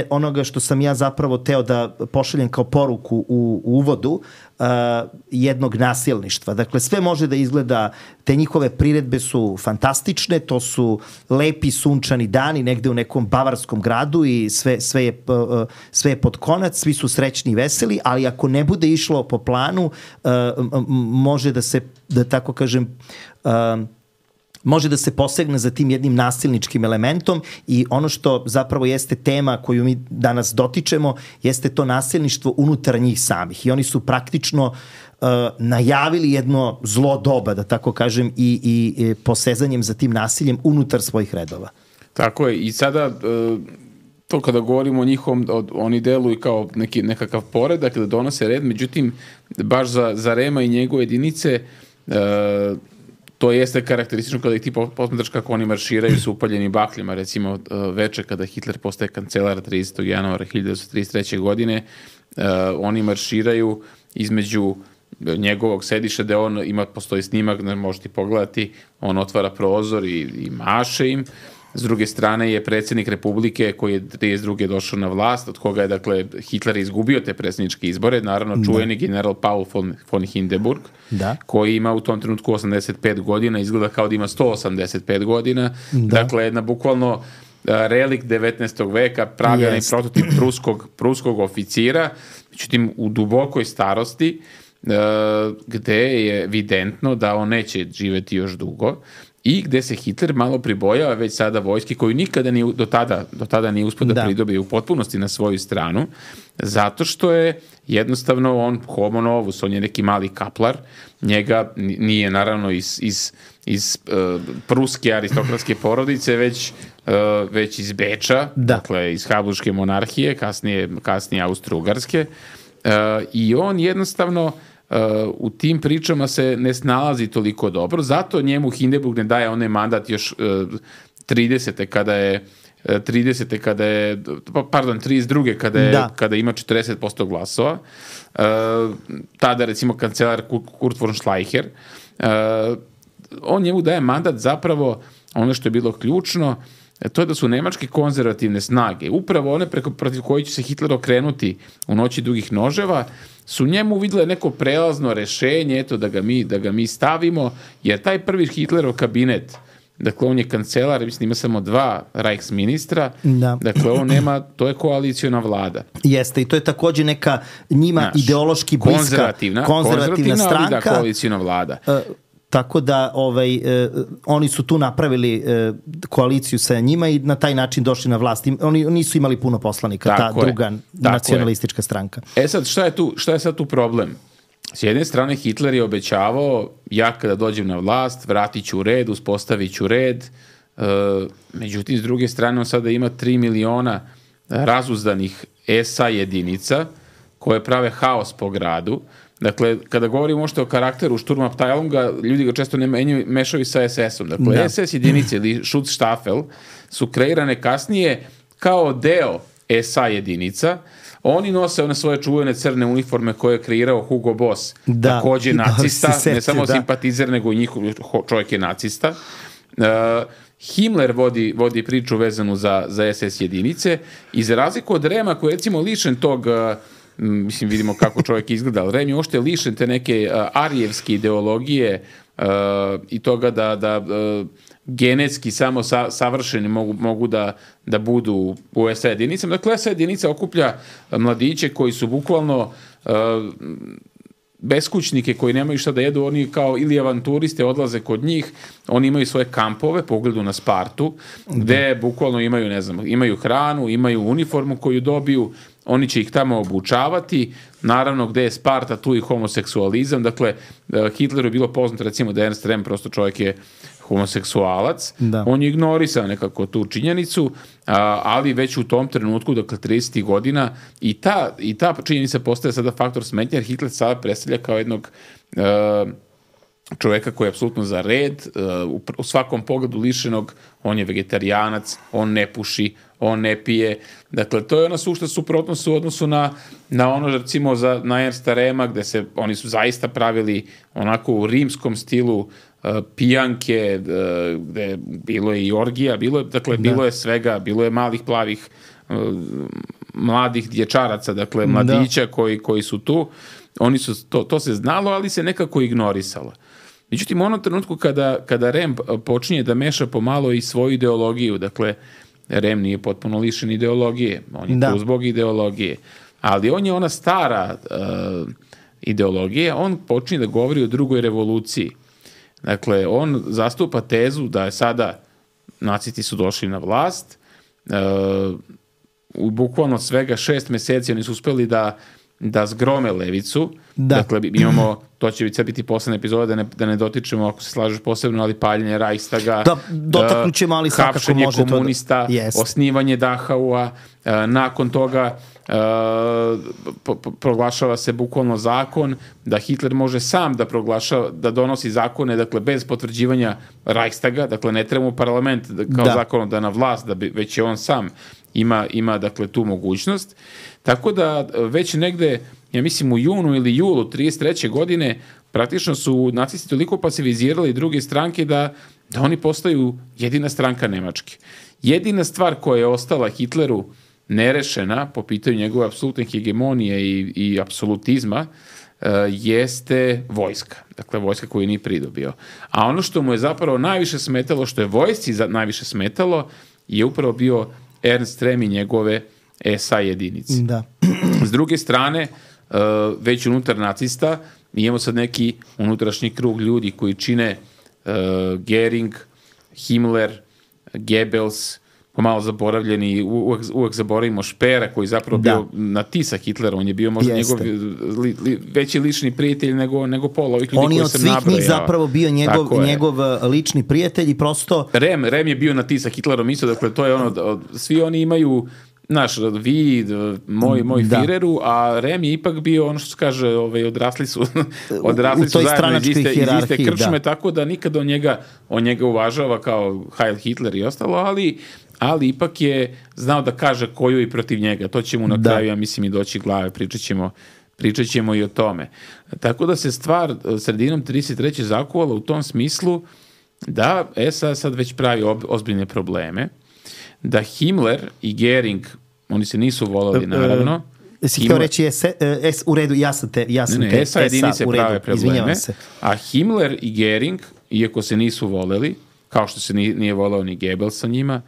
onoga što sam ja zapravo teo da pošaljem kao poruku u uvodu jednog nasilništva. Dakle, sve može da izgleda, te njihove priredbe su fantastične, to su lepi sunčani dani negde u nekom bavarskom gradu i sve je pod konac, svi su srećni i veseli, ali ako ne bude išlo po planu, može da se, da tako kažem, može da se posegne za tim jednim nasilničkim elementom i ono što zapravo jeste tema koju mi danas dotičemo jeste to nasilništvo unutar njih samih i oni su praktično najavili jedno zlo doba, da tako kažem, i posezanjem za tim nasiljem unutar svojih redova. Tako je i sada to kada govorimo o njihovom, oni deluju kao nekakav poredak da donose red, međutim baš za Rema i njegove jedinice to jeste karakteristično kada ih ti posmatraš kako oni marširaju sa upaljenim bakljama, recimo veče kada Hitler postaje kancelar 30. januara 1933. godine, oni marširaju između njegovog sedišta gde postoji snimak, možete pogledati, on otvara prozor i maše im. S druge strane je predsjednik Republike koji je 32. došao na vlast, od koga je, dakle, Hitler izgubio te predsjedničke izbore, naravno čuveni general Paul von Hindenburg, koji ima u tom trenutku 85 godina, izgleda kao da ima 185 godina, dakle, jedna bukvalno relikt 19. veka, pravljeni prototip pruskog oficira, međutim, u dubokoj starosti, gde je evidentno da on neće živeti još dugo, i gde se Hitler malo pribojava već sada vojske koju nikada do tada nije uspio da pridobije u potpunosti na svoju stranu, zato što je jednostavno on homo novus, on je neki mali kaplar, njega nije naravno iz pruske aristokratske porodice, već iz Beča, dakle iz Habsburške monarhije, kasnije Austro-Ugarske, i on jednostavno u tim pričama se ne snalazi toliko dobro, zato njemu Hindenburg ne daje onaj mandat još 32. kada ima 40% glasova. Tada recimo kancelar Kurt von Schleicher, on njemu daje mandat zapravo, ono što je bilo ključno, to je da su nemačke konzervativne snage, upravo one protiv koji će se Hitler okrenuti u noći dugih noževa, su njemu vidjele neko prelazno rešenje, eto da ga mi stavimo, jer taj prvi Hitlerov kabinet, dakle on je kancelar, mislim ima samo 2 Reichsministra, dakle on nema, to je koaliciona vlada. Jeste, i to je takođe neka njima ideološki bliska konzervativna stranka. Ali koaliciona vlada. Tako da oni su tu napravili koaliciju sa njima i na taj način došli na vlast. Oni nisu imali puno poslanika, ta druga nacionalistička stranka. Sad, šta je sad tu problem? S jedne strane, Hitler je obećavao, ja kada dođem na vlast, vratit ću red, uspostavit ću red, međutim, s druge strane, on sada ima 3 miliona razuzdanih SA jedinica koje prave haos po gradu. Dakle, kada govorimo možda o karakteru Sturmabteilunga, ljudi ga često ne mešaju sa SS-om. Dakle, SS jedinice ili Schutzstaffel su kreirane kasnije kao deo SA jedinica. Oni nose one svoje čuvene crne uniforme koje je kreirao Hugo Boss, takođe nacista, ne samo simpatizer, nego i njihov čovjek je nacista. Himmler vodi priču vezanu za SS jedinice i za razliku od Rema koji je recimo lišen tog, mislim vidimo kako čovjek izgleda, ali Rem je ošte lišen te neke arijevske ideologije i toga da genetski samo savršeni mogu da budu u SA jedinicama. Dakle, SA jedinica okuplja mladiće koji su bukvalno beskućnike koji nemaju šta da jedu, oni kao ili avanturiste odlaze kod njih, oni imaju svoje kampove po ugledu na Spartu, gde bukvalno imaju, ne znam, imaju hranu, imaju uniformu koju dobiju, oni će ih tamo obučavati, naravno gde je Sparta, tu i homoseksualizam, dakle, Hitleru je bilo poznato recimo da Ernst Rem prosto čovjek je homoseksualac, on je ignorisao nekako tu činjenicu, ali već u tom trenutku, dakle 30. godina, i ta činjenica postaje sada faktor smetnje, jer Hitler sada predstavlja kao jednog čoveka koji je apsolutno za red, u svakom pogledu lišenog, on je vegetarijanac, on ne puši, on ne pije. Dakle, to je ona sušta suprotnost u odnosu na ono, recimo, na Ernsta Rema, gde oni su zaista pravili onako u rimskom stilu pijanke, gde bilo je i orgija, bilo je svega, bilo je malih plavih mladih dječaraca, dakle mladića koji su tu. Oni su, to se znalo, ali se nekako ignorisalo. Međutim, u onom trenutku kada Rem počinje da meša pomalo i svoju ideologiju, dakle, Rem nije potpuno lišen ideologije, on je tu zbog ideologije, ali on je ona stara ideologija, on počinje da govori o drugoj revoluciji. Dakle, on zastupa tezu da je sada nacisti su došli na vlast, u bukvalno svega 6 meseci oni su uspeli da zgrome levicu. Dakle, imamo, to će biti poslednja epizoda, da ne dotičemo, ako se slažeš posebno, ali paljenje Reichstaga, dotaknućemo, ali svakako može hapšenje komunista, osnivanje Dachaua, nakon toga proglašava se bukvalno zakon da Hitler može sam da donosi zakone, dakle bez potvrđivanja Reichstaga, dakle ne treba mu parlament kao zakon da na vlast, već je on sam ima dakle tu mogućnost. Tako da već negde, ja mislim u junu ili julu 33. godine praktično su nacisti toliko pasivizirali druge stranke da oni postaju jedina stranka Nemačke. Jedina stvar koja je ostala Hitleru nerešena po pitanju njegove apsolutne hegemonije i apsolutizma jeste vojska. Dakle, vojska koju nije pridobio. A ono što mu je zapravo najviše smetalo, što je vojsci najviše smetalo, je upravo bio Ernst Rem i njegove SA jedinice. S druge strane, već unutar nacista, imamo sad neki unutrašnji krug ljudi koji čine Göring, Himmler, Goebbels, pomalo zaboravljeni, uvek zaboravimo Špera koji zapravo bio na ti sa Hitlerom, on je bio možda njegov veći lični prijatelj nego pola ovih ljudi koji sam nabrojao. On je od svih njih zapravo bio njegov lični prijatelj i prosto... Rem je bio na ti sa Hitlerom isto, dakle to je ono, svi oni imaju vi, moj Führeru, a Rem je ipak bio ono što se kaže, odrasli su zajedno iz iste krčme, tako da nikad on njega uvažava kao Heil Hitler i ostalo, ali ipak je znao da kaže koju i protiv njega. To će mu na kraju, ja mislim, i doći glave. Pričat ćemo i o tome. Tako da se stvar sredinom 33. zakuvala u tom smislu da SA sad već pravi ozbiljne probleme da Himmler i Gering, oni se nisu voleli naravno. Si htio reći u redu, ja sam te SA jedinice prave probleme, a Himmler i Gering, iako se nisu voleli, kao što se nije voleo ni Goebbels sa njima,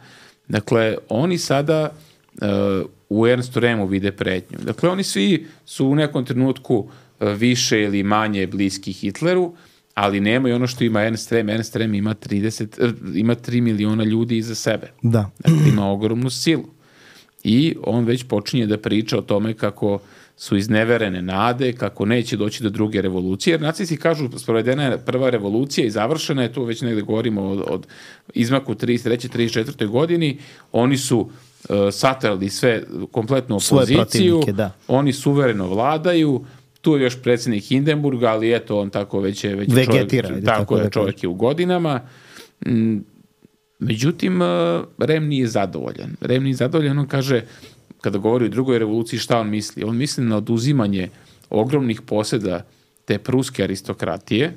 dakle, oni sada u Ernstu Rehmu vide pretnju. Dakle, oni svi su u nekom trenutku više ili manje bliski Hitleru, ali nema i ono što ima Ernst Rehm. Ernst Rehm ima 3 miliona ljudi iza sebe. Da. Dakle, ima ogromnu silu. I on već počinje da priča o tome kako su izneverene nade, kako neće doći do druge revolucije, jer nacisti kažu sprovedena je prva revolucija i završena je, tu već negde govorimo od izmaku 33. 34. godini, oni su satrali sve kompletnu opoziciju, oni suvereno vladaju, tu je još predsjednik Hindenburga, ali eto, on tako već je čovjek je u godinama. Međutim, Rehm nije zadovoljan. On kaže, kada govori o drugoj revoluciji, šta on misli? On misli na oduzimanje ogromnih posjeda te pruske aristokratije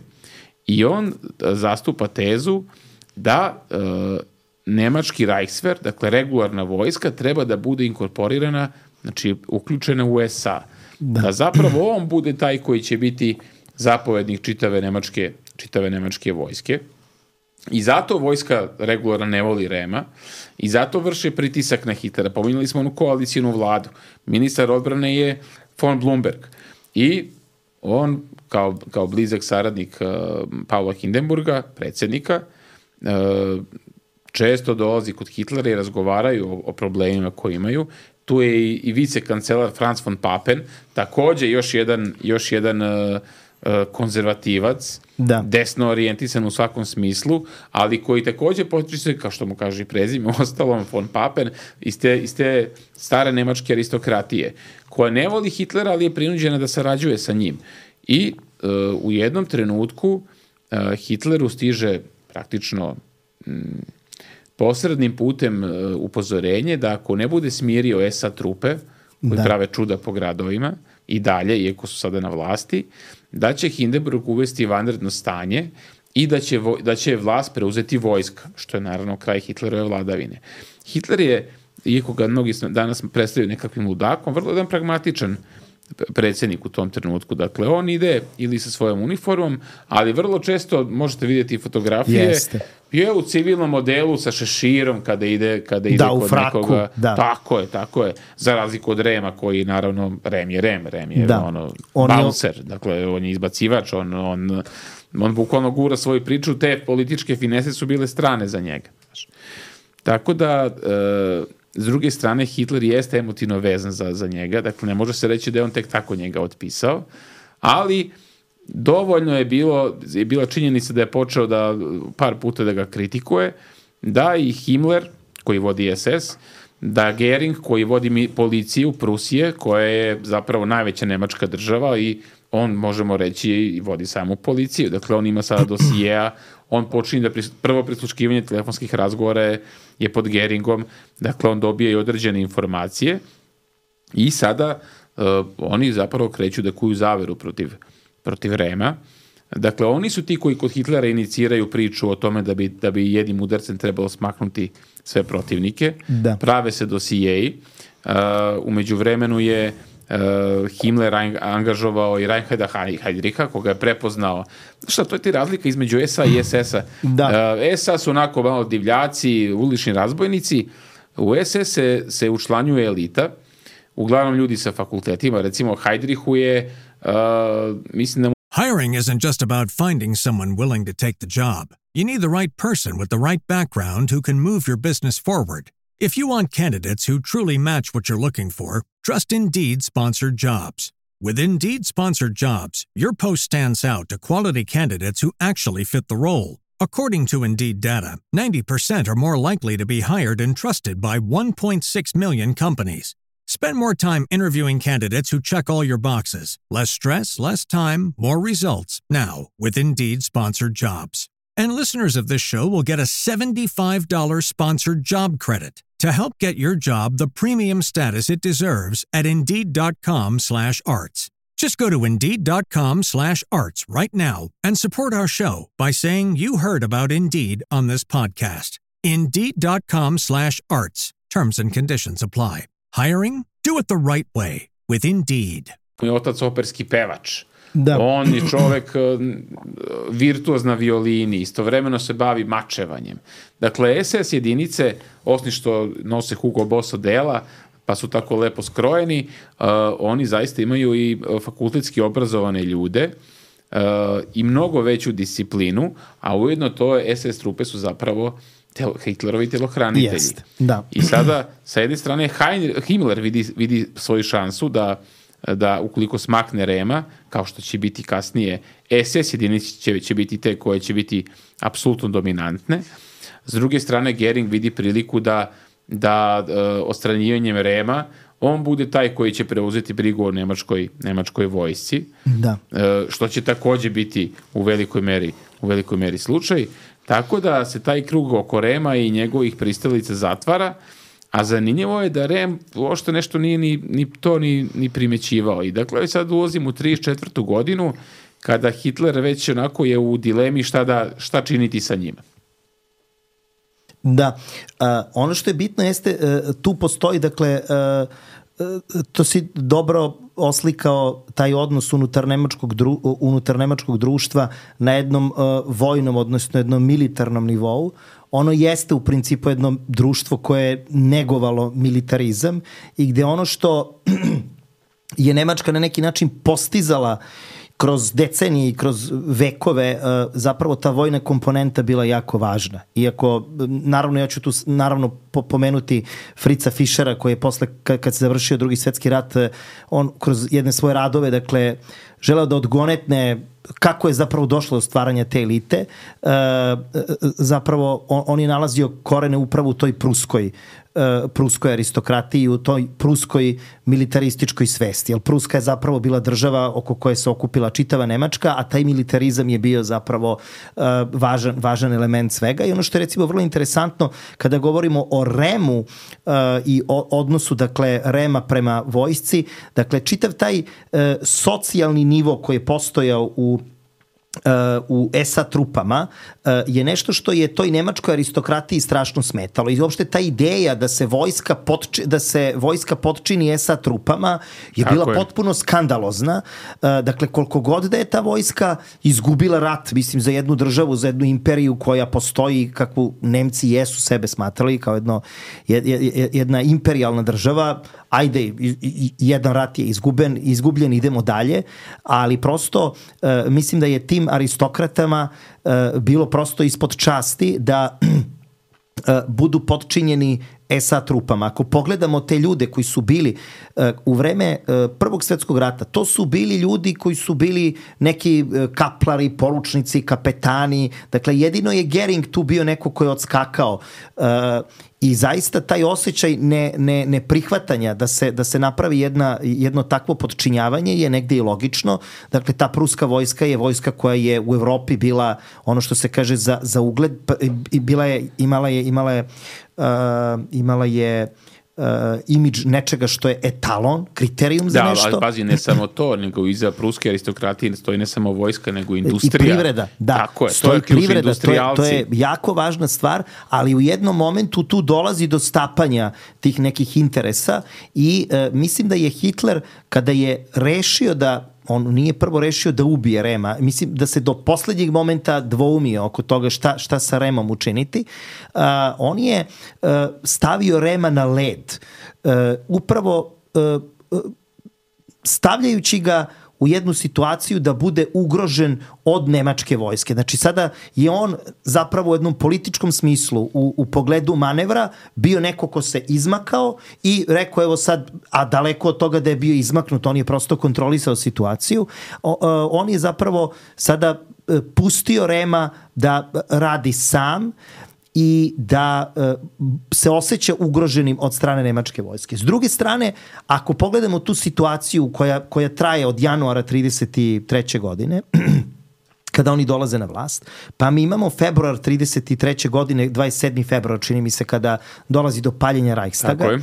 i on zastupa tezu da nemački Reichswehr, dakle regularna vojska, treba da bude inkorporirana, znači uključena u SA. Da zapravo on bude taj koji će biti zapovednik čitave nemačke vojske. I zato vojska regularno ne voli Rehma i zato vrše pritisak na Hitlera. Pominjali smo onu koalicijnu vladu. Ministar odbrane je von Blumberg. I on, kao blizak saradnik Paula Hindenburga, predsjednika, često dolazi kod Hitlera i razgovaraju o problemima koje imaju. Tu je i vicekancelar Franz von Papen, također još jedan konzervativac, desno orijentisan u svakom smislu, ali koji također potiče, kao što mu kaže i prezime, ostalom von Papen, iz te stare nemačke aristokratije, koja ne voli Hitlera, ali je prinuđena da sarađuje sa njim. I u jednom trenutku Hitleru stiže praktično posrednim putem upozorenje da ako ne bude smirio SA trupe, koji prave čuda po gradovima, i dalje, iako su sada na vlasti, da će Hindenburg uvesti vanredno stanje i da će vlast preuzeti vojska, što je naravno kraj Hitlerove vladavine. Hitler je, iako ga mnogi danas predstavljaju nekakvim ludakom, vrlo jedan pragmatičan predsjednik u tom trenutku. Dakle, on ide ili sa svojom uniformom, ali vrlo često možete vidjeti fotografije, je u civilnom modelu sa šeširom kada ide kod nekoga. Tako je. Za razliku od Rehma, koji naravno, Rehm je bouncer, dakle, on je izbacivač, on bukvalno gura svoju priču, te političke finese su bile strane za njega. Tako da, s druge strane, Hitler jeste emotivno vezan za njega, dakle, ne može se reći da je on tek tako njega otpisao, ali dovoljno je bila činjenica da je počeo par puta da ga kritikuje, da i Himmler, koji vodi SS, da Gering, koji vodi policiju Prusije, koja je zapravo najveća nemačka država i on, možemo reći, i vodi samu policiju. Dakle, on ima sada dosijeja, on počinje prvo prisluškivanje telefonskih razgovora je pod Geringom, dakle, on dobije i određene informacije i sada oni zapravo kreću da kuju zaveru protiv Rehma. Dakle, oni su ti koji kod Hitlera iniciraju priču o tome da bi jednim udarcem trebalo smaknuti sve protivnike. Prave se dosijeji. U međuvremenu je Himmler angažovao i Reinharda Heydricha, koga je prepoznao. Šta, to je ti razlika između SA i SS-a. SA su onako malo divljaci, ulični razbojnici. U SS se učlanjuje elita, uglavnom ljudi sa fakultetima. Recimo, Heydrichu je, mislim da Hiring isn't just about finding someone willing to take the job. You need the right person with the right background who can move your business forward. If you want candidates who truly match what you're looking for, trust Indeed Sponsored Jobs. With Indeed Sponsored Jobs, your post stands out to quality candidates who actually fit the role. According to Indeed data, 90% are more likely to be hired and trusted by 1.6 million companies. Spend more time interviewing candidates who check all your boxes. Less stress, less time, more results. Now, with Indeed Sponsored Jobs. And listeners of this show will get a $75 sponsored job credit to help get your job the premium status it deserves at Indeed.com/arts. Just go to Indeed.com/arts right now and support our show by saying you heard about Indeed on this podcast. Indeed.com/arts. Terms and conditions apply. Hiring? Do it the right way. With Indeed. Je otac operski pevač. Da. On je čovek virtuoz na violini, istovremeno se bavi mačevanjem. Dakle, SS jedinice, osim što nose Hugo Boss odela, pa su tako lepo skrojeni, oni zaista imaju i fakultetski obrazovane ljude i mnogo veću disciplinu, a ujedno to SS trupe su zapravo Hitlerovi telohranitelji. Jest, da. I sada, sa jedne strane, Himmler vidi svoju šansu da ukoliko smakne Rema, kao što će biti kasnije, SS jedinice će biti te koje će biti apsolutno dominantne. S druge strane, Göring vidi priliku da odstranjivanjem Rema on bude taj koji će preuzeti brigu o nemačkoj vojsci, da. Što će takođe biti u velikoj meri slučaj. Tako da se taj krug oko Rema i njegovih pristalica zatvara, a zanimljivo je da Rem uopšte nešto nije ni primećivao. I dakle, sad ulazim u 34. godinu, kada Hitler već onako je u dilemi šta činiti sa njima. Da, ono što je bitno jeste, tu postoji, dakle, to si dobro oslikao taj odnos unutar nemačkog društva na jednom vojnom, odnosno jednom militarnom nivou. Ono jeste u principu jedno društvo koje je negovalo militarizam i gde ono što je Nemačka na neki način postizala kroz decenije i kroz vekove, zapravo ta vojna komponenta bila jako važna. Iako, naravno, ja ću tu pomenuti Fritza Fischera, koji je posle, kad se završio Drugi svetski rat, on kroz jedne svoje radove, dakle, želeo da odgonetne kako je zapravo došlo do stvaranja te elite. Zapravo, on je nalazio korene upravo u toj pruskoj aristokratiji, u toj pruskoj militarističkoj svesti. Jer Pruska je zapravo bila država oko koje se okupila čitava Nemačka, a taj militarizam je bio zapravo važan element svega. I ono što je recimo vrlo interesantno kada govorimo o Remu i o odnosu, dakle, Rema prema vojsci, dakle, čitav taj socijalni nivo koji je postojao u SA trupama je nešto što je toj nemačkoj aristokratiji strašno smetalo. I uopšte ta ideja da se vojska potčini SA trupama je bila potpuno skandalozna. Dakle, koliko god da je ta vojska izgubila rat, mislim, za jednu državu, za jednu imperiju koja postoji, kakvu Nemci jesu sebe smatrali kao jedna imperijalna država, ajde, jedan rat je izgubljen, idemo dalje, ali prosto mislim da je tim aristokratama bilo prosto ispod časti da budu potčinjeni SA trupama. Ako pogledamo te ljude koji su bili u vreme Prvog svjetskog rata, to su bili ljudi koji su bili neki kaplari, poručnici, kapetani. Dakle, jedino je Göring tu bio neko koji je odskakao i zaista taj osjećaj neprihvatanja da se napravi jedno takvo potčinjavanje je negde i logično. Dakle, ta pruska vojska je vojska koja je u Evropi bila ono što se kaže za ugled, imala je imidž nečega što je etalon, kriterijum za nešto. Da, ali pazi, ne samo to, nego iza pruske aristokratije stoji ne samo vojska, nego industrija. I privreda, da. Tako je, to je ključni industrijalci. To je jako važna stvar, ali u jednom momentu tu dolazi do stapanja tih nekih interesa i mislim da je Hitler, kada je rešio on nije prvo rešio da ubije Rema. Mislim da se do poslednjeg momenta dvoumio oko toga šta sa Remom učiniti. On je stavio Rema na led. Upravo stavljajući ga u jednu situaciju da bude ugrožen od nemačke vojske. Znači, sada je on zapravo u jednom političkom smislu u pogledu manevra bio neko ko se izmakao i rekao, evo sad, a daleko od toga da je bio izmaknut, on je prosto kontrolisao situaciju. On je zapravo sada pustio Rema da radi sam i da se osjeća ugroženim od strane nemačke vojske. S druge strane, ako pogledamo tu situaciju koja traje od januara 1933. godine, kada oni dolaze na vlast, pa mi imamo februar 1933. godine, 27. februar, čini mi se, kada dolazi do paljenja Reichstaga.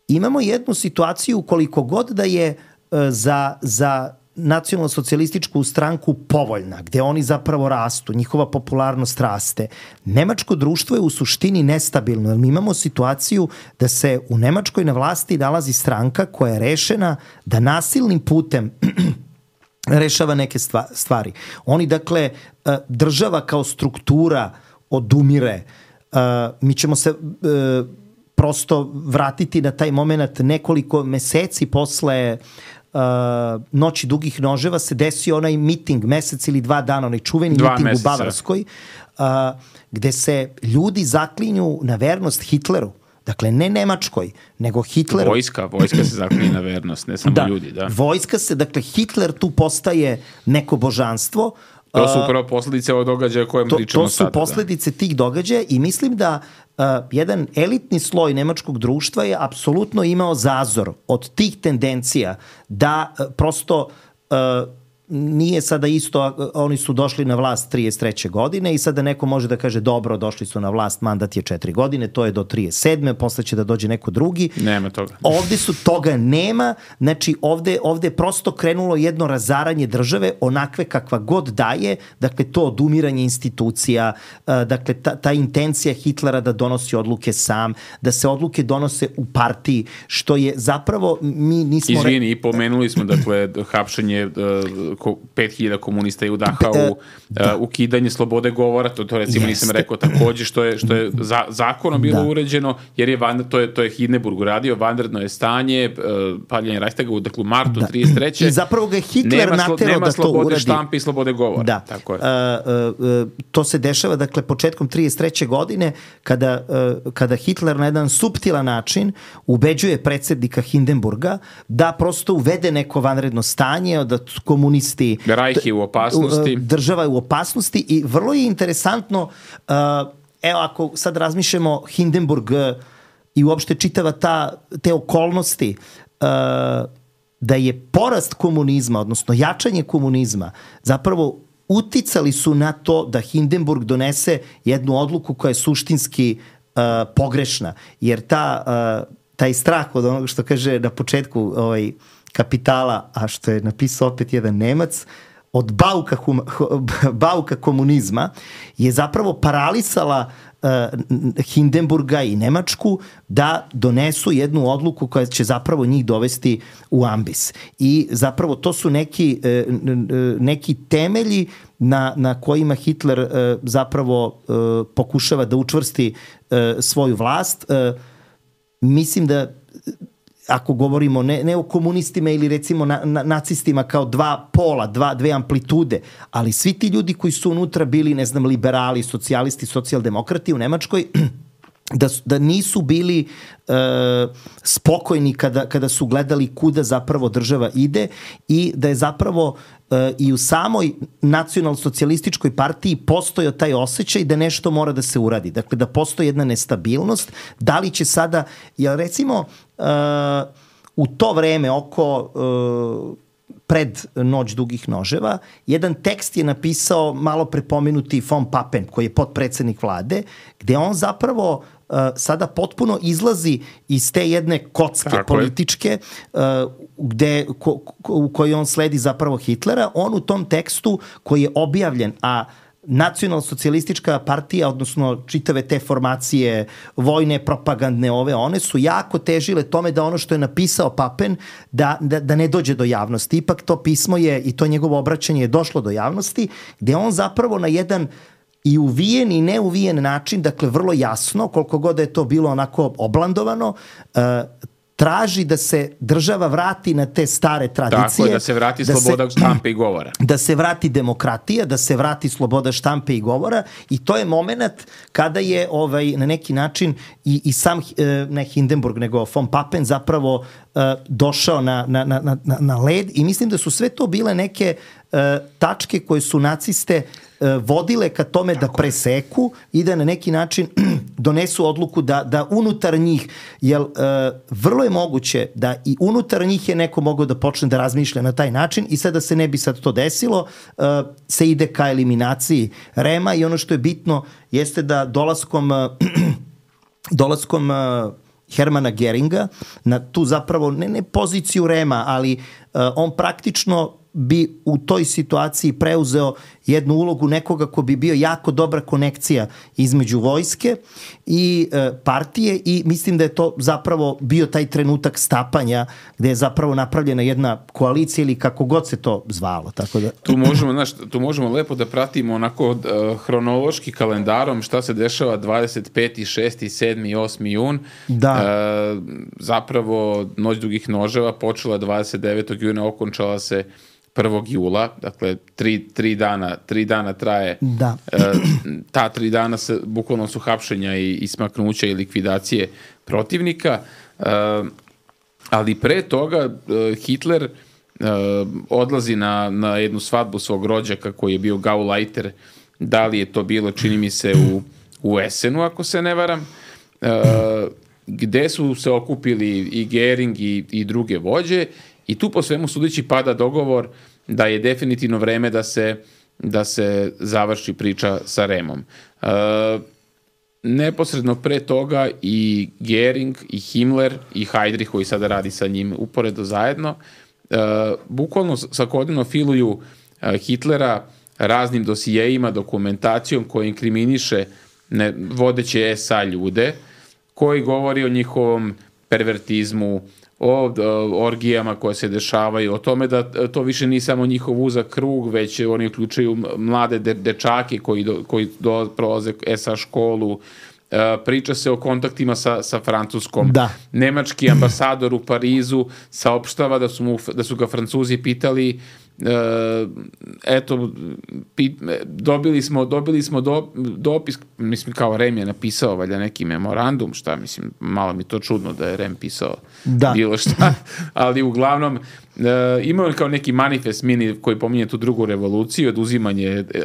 Imamo jednu situaciju koliko god da je za nacionalno-socijalističku stranku povoljna, gde oni zapravo rastu, njihova popularnost raste, nemačko društvo je u suštini nestabilno, jer mi imamo situaciju da se u Nemačkoj na vlasti nalazi stranka koja je rešena da nasilnim putem rešava neke stvari. Oni, dakle, država kao struktura odumire. Mi ćemo se prosto vratiti na taj moment nekoliko meseci posle Noći dugih noževa se desio onaj miting, mesec ili 2 dana, onaj čuveni miting u Bavarskoj, gde se ljudi zaklinju na vernost Hitleru. Dakle, ne Nemačkoj, nego Hitleru. Vojska se zaklinje na vernost, ne samo ljudi. Da, vojska se, dakle, Hitler tu postaje neko božanstvo. To su upravo posledice ovog događaja o kojem pričamo sada. To su posledice tih događaja i mislim da jedan elitni sloj nemačkog društva je apsolutno imao zazor od tih tendencija da prosto nije sada isto, oni su došli na vlast 33. godine i sada neko može da kaže dobro, došli su na vlast, mandat je 4 godine, to je do 37. Posle će da dođe neko drugi. Nema toga. Ovde toga nema, znači ovde je prosto krenulo jedno razaranje države onakve kakva god daje, dakle to odumiranje institucija, dakle ta intencija Hitlera da donosi odluke sam, da se odluke donose u partiji, što je zapravo mi nismo... Izvini, i pomenuli smo, dakle, hapšenje 5000 komunista je u Dachau, ukidanje slobode govora, to recimo nisam rekao takođe, što je zakonom bilo uređeno, jer je to je Hindenburg uradio, vanredno je stanje, paljenje Reichstaga, dakle u martu 33. I zapravo ga Hitler naterao da to uradi. Nema slobode štampe i slobode govora. Da. Tako je. To se dešava, dakle, početkom 33. godine, kada Hitler na jedan suptilan način ubeđuje predsjednika Hindenburga da prosto uvede neko vanredno stanje, da komunisti Reich je u opasnosti. Država je u opasnosti i vrlo je interesantno, evo ako sad razmišljamo Hindenburg i uopšte čitava te okolnosti, da je porast komunizma, odnosno jačanje komunizma, zapravo uticali su na to da Hindenburg donese jednu odluku koja je suštinski pogrešna, jer taj strah od onoga što kaže na početku Kapitala, a što je napisao opet jedan Nemac, od bauka komunizma je zapravo paralisala Hindenburga i Nemačku da donesu jednu odluku koja će zapravo njih dovesti u ambis. I zapravo to su neki temelji na kojima Hitler zapravo pokušava da učvrsti svoju vlast. Mislim da ako govorimo ne o komunistima ili recimo nacistima kao dva pola, dve amplitude, ali svi ti ljudi koji su unutra bili, ne znam, liberali, socijalisti, socijaldemokrati u Nemačkoj, da nisu bili spokojni kada su gledali kuda zapravo država ide i da je zapravo i u samoj nacionalsocijalističkoj partiji postojao taj osjećaj da nešto mora da se uradi. Dakle, da postoji jedna nestabilnost. Da li će sada, recimo, u to vreme oko pred Noć dugih noževa, jedan tekst je napisao malo prepomenuti von Papen, koji je potpredsednik vlade, gde on zapravo sada potpuno izlazi iz te jedne kocke političke u kojoj on sledi zapravo Hitlera. On u tom tekstu koji je objavljen, a nacionalsocijalistička partija, odnosno čitave te formacije vojne, propagandne, one su jako težile tome da ono što je napisao Papen da ne dođe do javnosti. Ipak to pismo je i to njegovo obraćanje je došlo do javnosti, gde on zapravo na jedan i uvijen i neuvijen način, dakle vrlo jasno, koliko god je to bilo onako oblandovano, traži da se država vrati na te stare tradicije. Tako je, da se vrati sloboda štampe i govora. Da se vrati demokratija, da se vrati sloboda štampe i govora i to je moment kada je na neki način i sam, ne Hindenburg, nego von Papen zapravo došao na led i mislim da su sve to bile neke tačke koje su naciste vodile ka tome da preseku i da na neki način donesu odluku da unutar njih, jer vrlo je moguće da i unutar njih je neko mogao da počne da razmišlja na taj način i sad da se ne bi sad to desilo, se ide ka eliminaciji Rema i ono što je bitno jeste da dolaskom Hermana Geringa na tu zapravo ne poziciju Rema, ali on praktično bi u toj situaciji preuzeo jednu ulogu nekoga ko bi bio jako dobra konekcija između vojske i partije i mislim da je to zapravo bio taj trenutak stapanja gde je zapravo napravljena jedna koalicija ili kako god se to zvalo. Tako da... tu možemo lepo da pratimo onako hronološki kalendarom šta se dešava 25. 6. 7. 8. jun. Da. Zapravo Noć dugih noževa počela 29. juna, okončala se 1. jula, dakle tri dana traje. Da. Ta 3 dana bukvalno su hapšenja i smaknuća i likvidacije protivnika, ali pre toga Hitler odlazi na jednu svadbu svog rođaka koji je bio Gauleiter, da li je to bilo, čini mi se, u Essenu, ako se ne varam, gde su se okupili i Gering i druge vođe i tu po svemu sudeći pada dogovor da je definitivno vreme da se završi priča sa Remom. Neposredno pre toga i Gering i Himmler i Heydrich koji sada radi sa njim uporedo zajedno bukvalno svakodnevno filuju Hitlera raznim dosijeima, dokumentacijom koja inkriminiše vodeće SA ljude, koji govori o njihovom pervertizmu, o orgijama koje se dešavaju, o tome da to više nije samo njihov uzak krug, već oni uključuju mlade dečake koji prolaze SA školu. Priča se o kontaktima sa Francuskom. Da. Nemački ambasador u Parizu saopštava da su ga Francuzi pitali dobili smo dopis, mislim kao Rem je napisao valjda neki memorandum, šta mislim, malo mi to čudno da je Rem pisao bilo šta, ali uglavnom imao kao neki manifest mini koji pominje tu drugu revoluciju,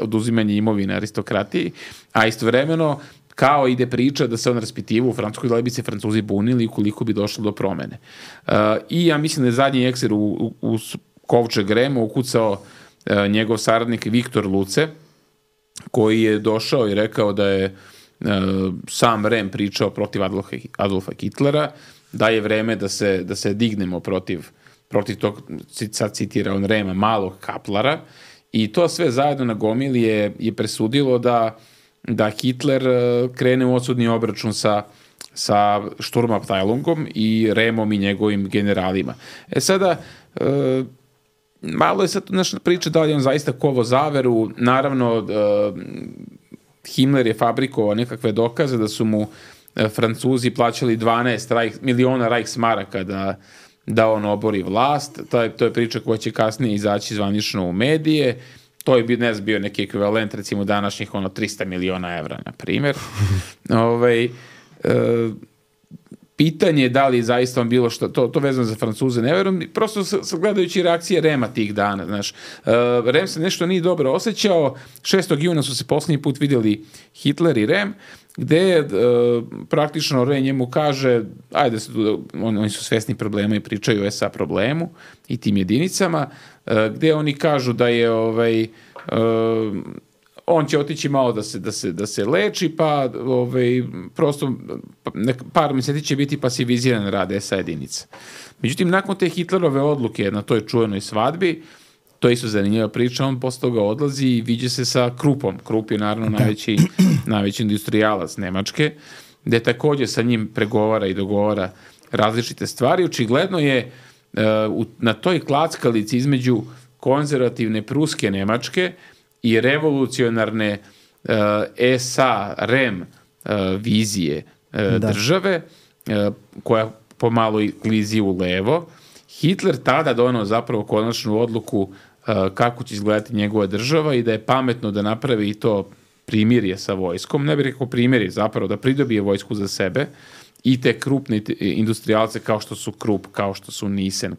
oduzimanje imovine aristokratiji, a istovremeno kao ide priča da se on raspitivo u Francuskoj da li bi se Francuzi bunili ukoliko bi došlo do promene. I ja mislim da je zadnji ekser u kovčeg Rema ukucao njegov saradnik Viktor Luce, koji je došao i rekao da je sam Rem pričao protiv Adolfa Hitlera, da je vreme da se dignemo protiv tog, sad citira on Rema, malog kaplara, i to sve zajedno na gomili je presudilo da Hitler krene u odsudni obračun sa Sturmabteilungom i Remom i njegovim generalima. Sada, malo je sad naša priča da li je on zaista kovo zaveru. Naravno, Himmler je fabrikovao nekakve dokaze da su mu Francuzi plaćali 12 miliona Reichsmaraka da on obori vlast. To je priča koja će kasnije izaći zvanično u medije. To je bio neki ekvivalent recimo današnjih 300 miliona evra, na primjer. Pitanje je da li zaista on bilo što, to vezano za Francuze, ne verujem, prosto gledajući reakcije Rema tih dana, znaš. Rem se nešto nije dobro osjećao, 6. juna su se posljednji put vidjeli Hitler i Rem, gde praktično Rem njemu kaže, ajde, oni su svesni problema i pričaju o SA problemu i tim jedinicama, gde oni kažu da je on će otići malo da se leči, pa prosto par mjeseci će biti pasiviziran rad SA jedinica. Međutim, nakon te Hitlerove odluke na toj čuvenoj svadbi, to je isto zanimljiva priča, on posle toga odlazi i viđe se sa Krupom. Krup je naravno najveći industrijalac Nemačke, gde također sa njim pregovara i dogovara različite stvari. Očigledno je na toj klackalici između konzervativne pruske Nemačke i revolucionarne SA, Rem vizije države, koja pomalo klizi u levo, Hitler tada donao zapravo konačnu odluku kako će izgledati njegova država i da je pametno da napravi i to primirje sa vojskom, ne bih rekao primirje, zapravo da pridobije vojsku za sebe i te krupne industrijalce kao što su Krupp, kao što su Nissen,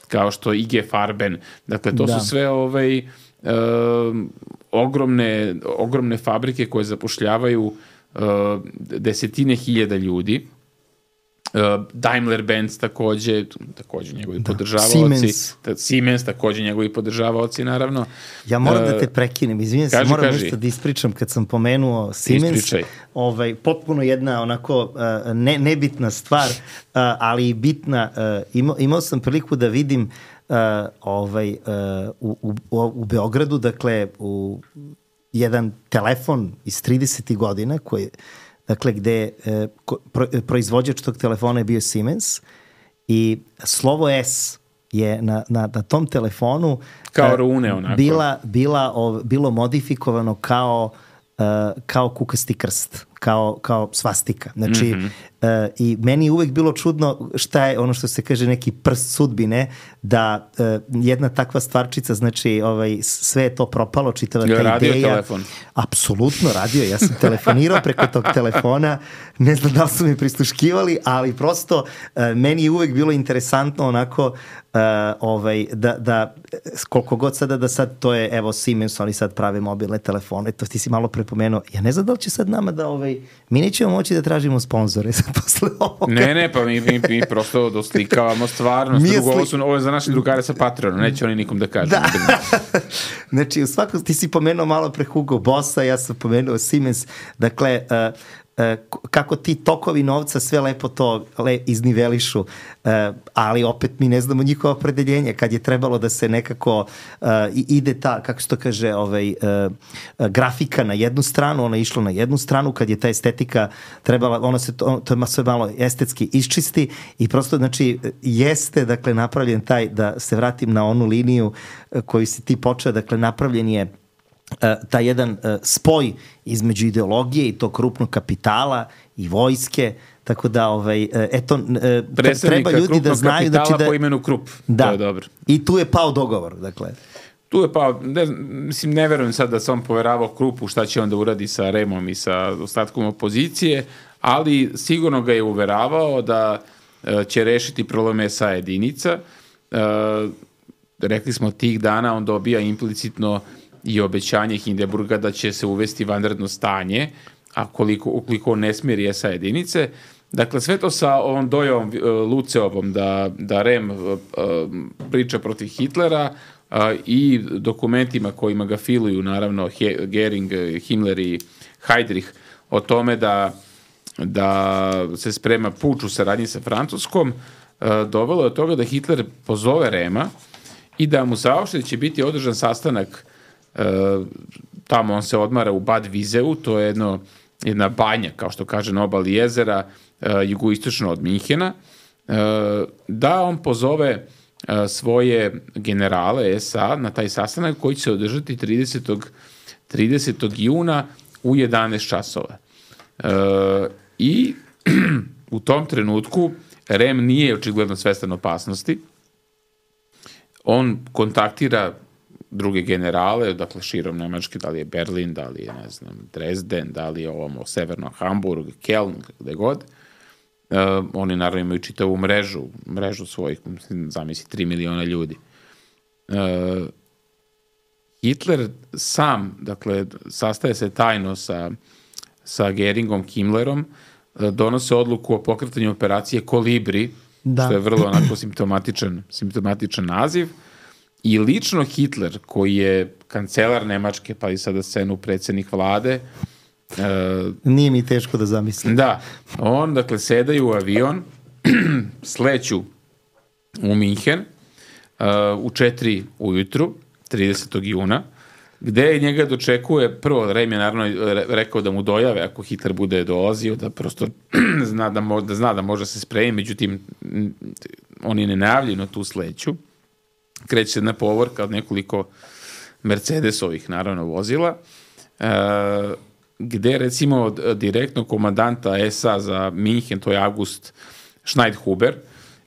kao što IG Farben, dakle to su sve ogromne fabrike koje zapošljavaju desetine hiljada ljudi. Daimler-Benz također njegovi podržavaoci. Siemens također njegovi podržavaoci, naravno. Ja moram da te prekinem, izvijem se, moram nešto da ispričam kad sam pomenuo Siemens. Potpuno jedna onako nebitna stvar, ali i bitna. Imao sam priliku da vidim u Beogradu, dakle, u jedan telefon iz 30. godina, dakle, gde proizvođač tog telefona je bio Siemens i slovo S je na tom telefonu kao rune onako. Bilo modifikovano kao kukasti krst, kao svastika. Znači, i meni je uvek bilo čudno šta je ono što se kaže neki prst sudbine, da jedna takva stvarčica, znači sve je to propalo, čitava ta ideja. Radio telefon? Apsolutno radio. Ja sam telefonirao preko tog telefona, ne znam da li su mi prisluškivali, ali prosto meni je uvek bilo interesantno onako da koliko god sada da sad to je, evo Siemens, oni sad prave mobilne telefone, to ti si malo prepomenuo. Ja ne znam da li će sad nama da mi nećemo moći da tražimo sponzore sad posle ovoga. Ne, pa mi prosto doslikavamo stvarnost. Ovo je za naše drugare sa Patreonom, neće oni nikom da kažu. Da. Znači, u svakom, ti si pomenuo malo pre Hugo Bossa, ja sam pomenuo Siemens, dakle, kako ti tokovi novca sve lepo to iznivelišu, ali opet mi ne znamo njihovo opredeljenje. Kad je trebalo da se nekako ide ta, kako se to kaže, grafika na jednu stranu, ona je išla na jednu stranu, kad je ta estetika trebala, ona se to je sve malo estetski iščisti i prosto, znači, jeste, dakle, napravljen taj, da se vratim na onu liniju koju si ti počeo, dakle, napravljen je taj jedan spoj između ideologije i tog krupnog kapitala i vojske, tako da treba ljudi da znaju, znači, da po imenu Krupp. Da. To je dobro. I tu je pao dogovor, dakle. Tu je pao, ne verujem sad da se on poveravao Kruppu šta će onda uradi sa Remom i sa ostatkom opozicije, ali sigurno ga je uveravao da će rešiti probleme SA jedinica. Rekli smo, tih dana on dobija implicitno i obećanje Hindenburga da će se uvesti vanredno stanje, a ukoliko ne smiri SA jedinice. Dakle, sve to sa ovom dojavom Luceovom da Rem priča protiv Hitlera i dokumentima kojima ga filuju, naravno, Gering, Himmler i Heydrich, o tome da se sprema puč u saradnji sa Francuskom, dovelo je od toga da Hitler pozove Rema i da mu saopšti da će biti održan sastanak. Tamo on se odmara u Bad Viseu, to je jedna banja, kao što kaže, na obali jezera, jugoistočno od Minhena, da on pozove svoje generale SA na taj sastanak koji će se održati 30. juna u 11 časova. I u tom trenutku Rem nije očigledno svestan opasnosti. On kontaktira druge generale, dakle širom Nemačke, da li je Berlin, da li je, ne znam, Dresden, da li je ovamo severno Hamburg, Keln, gde god. Oni naravno imaju čitavu mrežu svojih, zamisli, 3 miliona ljudi. Hitler sam, dakle, sastaje se tajno sa Geringom, Himmlerom, donose odluku o pokretanju operacije Kolibri, što je vrlo onako simptomatičan naziv. I lično Hitler, koji je kancelar Nemačke, pa i sada scenu predsjednik vlade. Nije mi teško da zamislim. Da, on, dakle, sedaju u avion, sleću u Minhen u 4 ujutru, 30. juna, gde njega dočekuje, prvo, Rem je naravno rekao da mu dojave ako Hitler bude dolazio, da prosto zna da može se spremiti, međutim, oni nenajavljeno tu sleću. Kreće se na povorka od nekoliko Mercedesovih, naravno, vozila, gde, recimo, direktno komandanta SA za Minhen, to je August Schneidhuber,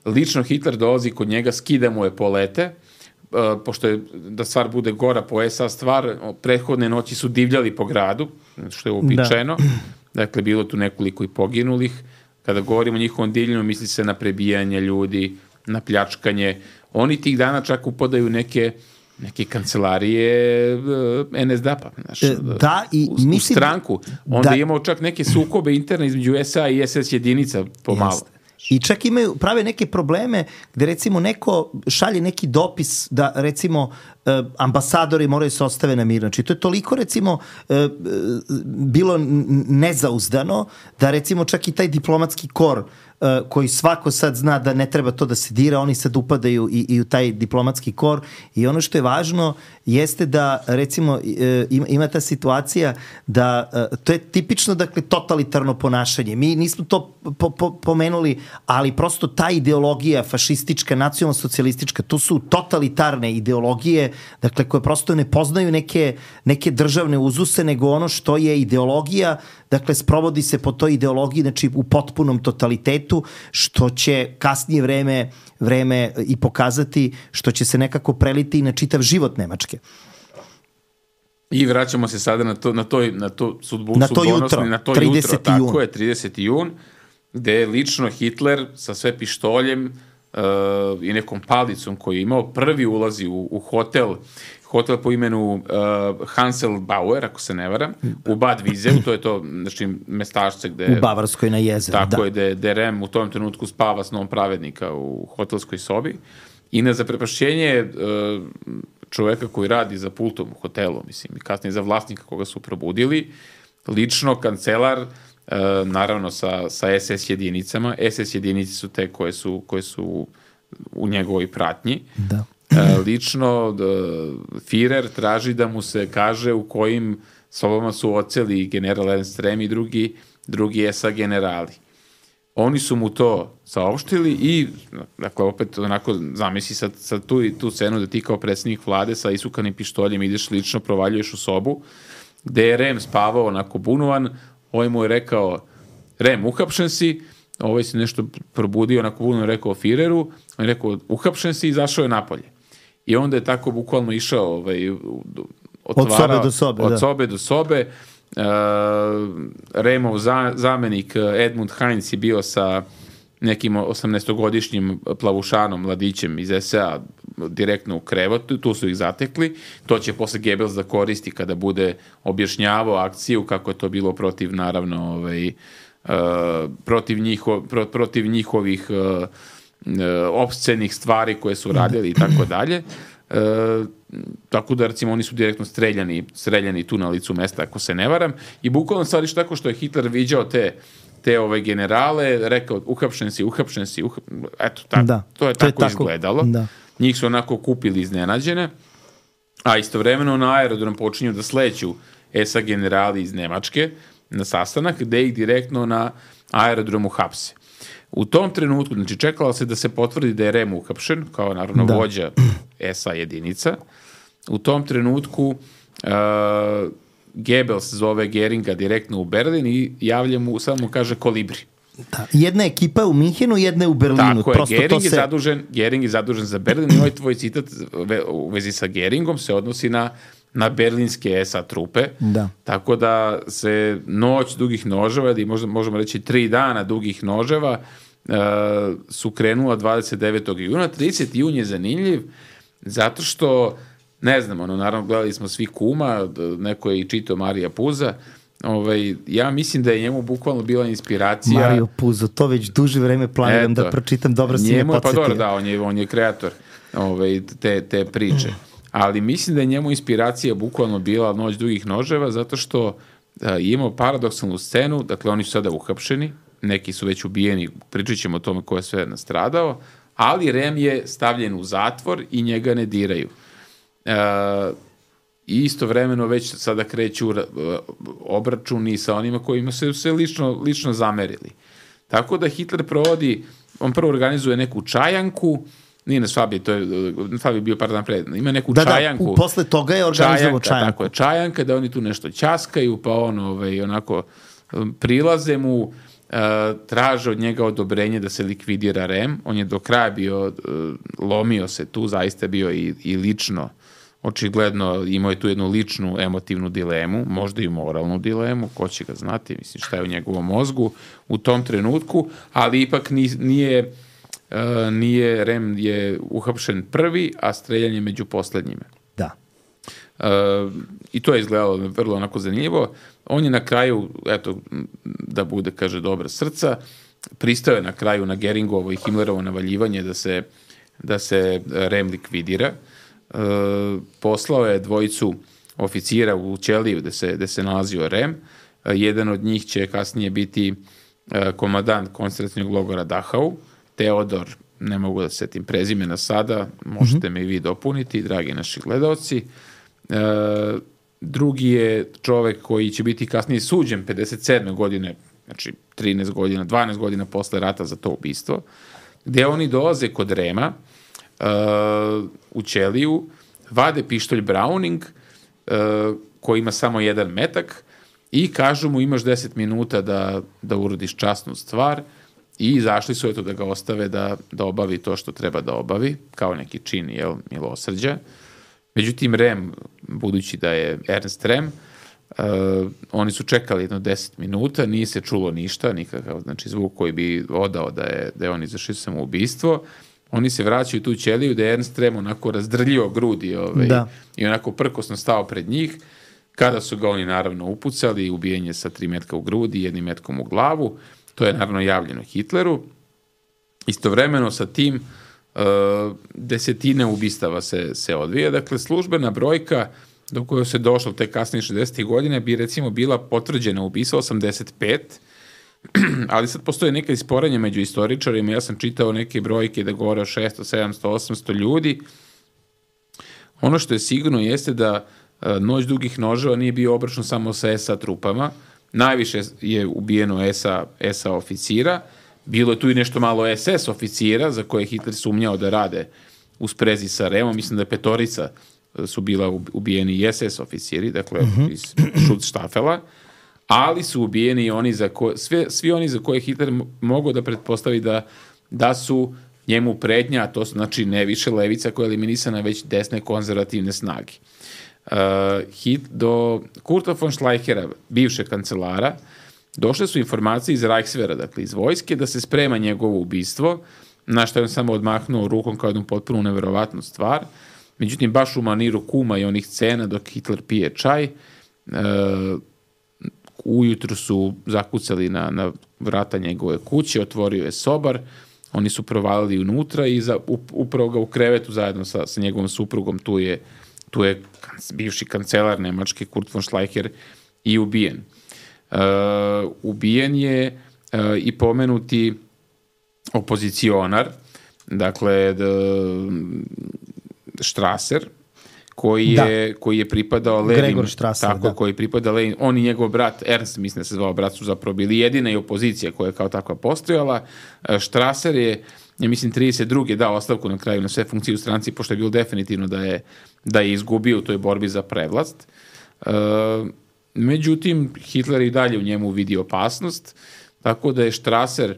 lično Hitler dolazi kod njega, skida mu epolete, pošto je, da stvar bude gora po SA stvar, prethodne noći su divljali po gradu, što je uobičajeno. Dakle, bilo tu nekoliko i poginulih. Kada govorimo o njihovom divljenju, misli se na prebijanje ljudi, na pljačkanje. Oni tih dana čak upadaju neke kancelarije NSDAP-a, u stranku. Onda imamo čak neke sukobe interne između SA i SS jedinica pomalo. I čak prave neke probleme gde, recimo, neko šalje neki dopis da, recimo, ambasadori moraju se ostave na mir. Znači, to je toliko, recimo, bilo nezauzdano da, recimo, čak i taj diplomatski kor koji svako sad zna da ne treba to da se dira, oni sad upadaju i u taj diplomatski kor i ono što je važno jeste da recimo ima ta situacija da to je tipično dakle totalitarno ponašanje. Mi nismo to pomenuli, ali prosto ta ideologija fašistička, nacionalno-socijalistička, to su totalitarne ideologije, dakle koje prosto ne poznaju neke državne uzuse, nego ono što je ideologija, dakle sprovodi se po toj ideologiji, znači u potpunom totalitetu, što će kasnije vreme i pokazati, što će se nekako preliti i na čitav život Nemačke. I vraćamo se sada na to sudbu na to jutro, 30. Tako je, 30. jun, gde je lično Hitler sa sve pištoljem i nekom palicom koju je imao, prvi ulazi u hotel po imenu Hanselbauer, ako se ne varam, u Bad Viseu, to je to, znači, mestašce gde... U Bavarskoj na jezeru, da. Tako je, gde Rem u tom trenutku spava s novom pravednika u hotelskoj sobi. I na zaprepašćenje čoveka koji radi za pultom u hotelu, mislim, i kasnije za vlasnika koga su probudili, lično kancelar, naravno sa SS jedinicama. SS jedinice su te koje su u njegovoj pratnji. Da. Lično Führer traži da mu se kaže u kojim sobama su oceli general Ernst Rem i drugi SA generali. Oni su mu to saopštili i, dakle, opet onako zamisli sad tu scenu da ti kao predsjednik vlade sa isukanim pištoljem ideš lično, provaljuješ u sobu, gde je Rem spavao onako bunovan, ovaj mu je rekao, Rem, uhapšen si, ovaj se nešto probudio, onako bunovan rekao Führeru, on je rekao, uhapšen si i izašao je napolje. I onda je tako bukvalno išao od sobe do sobe. Remov zamenik Edmund Heinz je bio sa nekim 18-godišnjim plavušanom mladićem iz SA direktno u krevetu, tu su ih zatekli. To će posle Goebbels da koristi kada bude objašnjavao akciju, kako je to bilo protiv, naravno, protiv njihovih opscenih stvari koje su radili i tako dalje. Tako da, recimo, oni su direktno streljani tu na licu mesta, ako se ne varam. I bukvalno stvari tako što je Hitler viđao te generale, rekao, uhapšen si, eto, to je tako izgledalo. Da. Njih su onako kupili iznenađene, a istovremeno na aerodrom počinju da sleću SA generali iz Nemačke na sastanak, gde ih direktno na aerodromu hapse. U tom trenutku, znači, čekalo se da se potvrdi da je Rem uhapšen, kao naravno vođa SA jedinica. U tom trenutku Goebbels zove Geringa direktno u Berlin i javlja mu, samo mu kaže kolibri. Da. Jedna ekipa je u Minhenu, jedna je u Berlinu. Tako je, Gering je zadužen za Berlin i ovaj tvoj citat u vezi sa Geringom se odnosi na berlinske SA trupe. Da. Tako da se noć dugih noževa, ili možemo reći 3 dana dugih noževa, su krenula 29. juna. 30. jun je zanimljiv, zato što, ne znam, naravno gledali smo svi Kuma, neko je i čitao Marija Puza, ja mislim da je njemu bukvalno bila inspiracija... Mario Puzo, to već duže vreme planiram da pročitam, dobro si me podsjetio. Pa dobro, da, on je kreator te priče. Ali mislim da je njemu inspiracija bukvalno bila Noć dugih noževa, zato što imamo paradoksalnu scenu, dakle oni su sada uhapšeni, neki su već ubijeni, pričat ćemo o tome ko je sve nastradao, ali Rem je stavljen u zatvor i njega ne diraju. I istovremeno već sada kreću obračuni sa onima kojima su se lično zamerili. Tako da Hitler on prvo organizuje neku čajanku, nije na Svabi, Svabi je bio par dana pred, ima neku čajanku. Da, posle toga je organizovao čajanku. Tako je, čajanka, da oni tu nešto ćaskaju, pa onako prilaze mu, traže od njega odobrenje da se likvidira Rem. On je do kraja bio, lomio se tu, zaista bio i lično, očigledno imao je tu jednu ličnu emotivnu dilemu, možda i moralnu dilemu, ko će ga znati, mislim šta je u njegovom mozgu u tom trenutku, ali ipak nije Rem je uhapšen prvi, a streljanje među poslednjima. Da. I to je izgledalo vrlo onako zanimljivo. On je na kraju, eto, da bude, kaže, dobra srca, pristao je na kraju na Geringovo i Himmlerovo navaljivanje da se Rem likvidira. Poslao je dvojicu oficira u ćeliju gde se nalazio Rem. Jedan od njih će kasnije biti komandant koncentracionog logora Dachau, Teodor, ne mogu da se setim prezimena sada, možete me i vi dopuniti, dragi naši gledaoci. Drugi je čovek koji će biti kasnije suđen 57. godine, znači 13 godina, 12 godina posle rata za to ubistvo, gde oni dolaze kod Rema u ćeliju, vade pištolj Browning koji ima samo jedan metak i kažu mu imaš 10 minuta da urodiš časnu stvar i izašli su da ga ostave da obavi to što treba da obavi, kao neki čin milosrđa. Međutim, Rem, budući da je Ernst Rem, oni su čekali jedno 10 minuta, nije se čulo ništa, nikakav zvuk koji bi odao da je on izvršio samoubistvo. Oni se vraćaju tu ćeliju da je Ernst Rem onako razdrljio grudi i onako prkosno stao pred njih. Kada su ga oni naravno upucali, ubijenje sa 3 metka u grudi i 1 metkom u glavu, to je naravno javljeno Hitleru. Istovremeno sa tim desetine ubistava se odvija. Dakle, službena brojka do koje se došlo te kasnije 60. godine bi recimo bila potvrđena ubistva 85, ali sad postoje neka isporenja među istoričarima. Ja sam čitao neke brojke da govore o 600, 700, 800 ljudi. Ono što je sigurno jeste da Noć dugih noževa nije bio obračun samo sa SA trupama. Najviše je ubijeno SA oficira. Bilo je tu i nešto malo SS oficira za koje Hitler sumnjao da rade u sprezi sa Remom. Mislim da je 5 su bila ubijeni i SS oficiri, dakle iz Schutzstaffela, ali su ubijeni i oni svi oni za koje Hitler mogao da pretpostavi da su njemu pretnja, a to su znači ne više levica koja je eliminisana, već desne konzervativne snage. Do Kurta von Schleichera, bivšeg kancelara, došle su informacije iz Reichswehra, dakle iz vojske, da se sprema njegovo ubistvo, na što je on samo odmahnuo rukom kao jednu potpuno neverovatnu stvar. Međutim, baš u maniru kuma i onih scena dok Hitler pije čaj, ujutru su zakucali na vrata njegove kuće, otvorio je sobar, oni su provalili unutra i upravo ga u krevetu zajedno sa njegovom suprugom, tu je bivši kancelar Nemačke Kurt von Schleicher i ubijen. Ubijen je i pomenuti opozicionar, dakle Strasser, koji je pripadao Lenin. Gregor Strasser, tako, koji pripada Lenin. On i njegov brat, Ernst, mislim da se zvao brat, su zapravo bili jedina i opozicija koja je kao takva postojala. Strasser je, ja mislim, 32. dao ostavku na kraju na sve funkcije u stranci, pošto je bilo definitivno da je izgubio u toj borbi za prevlast. Međutim, Hitler i dalje u njemu vidi opasnost, tako da je Strasser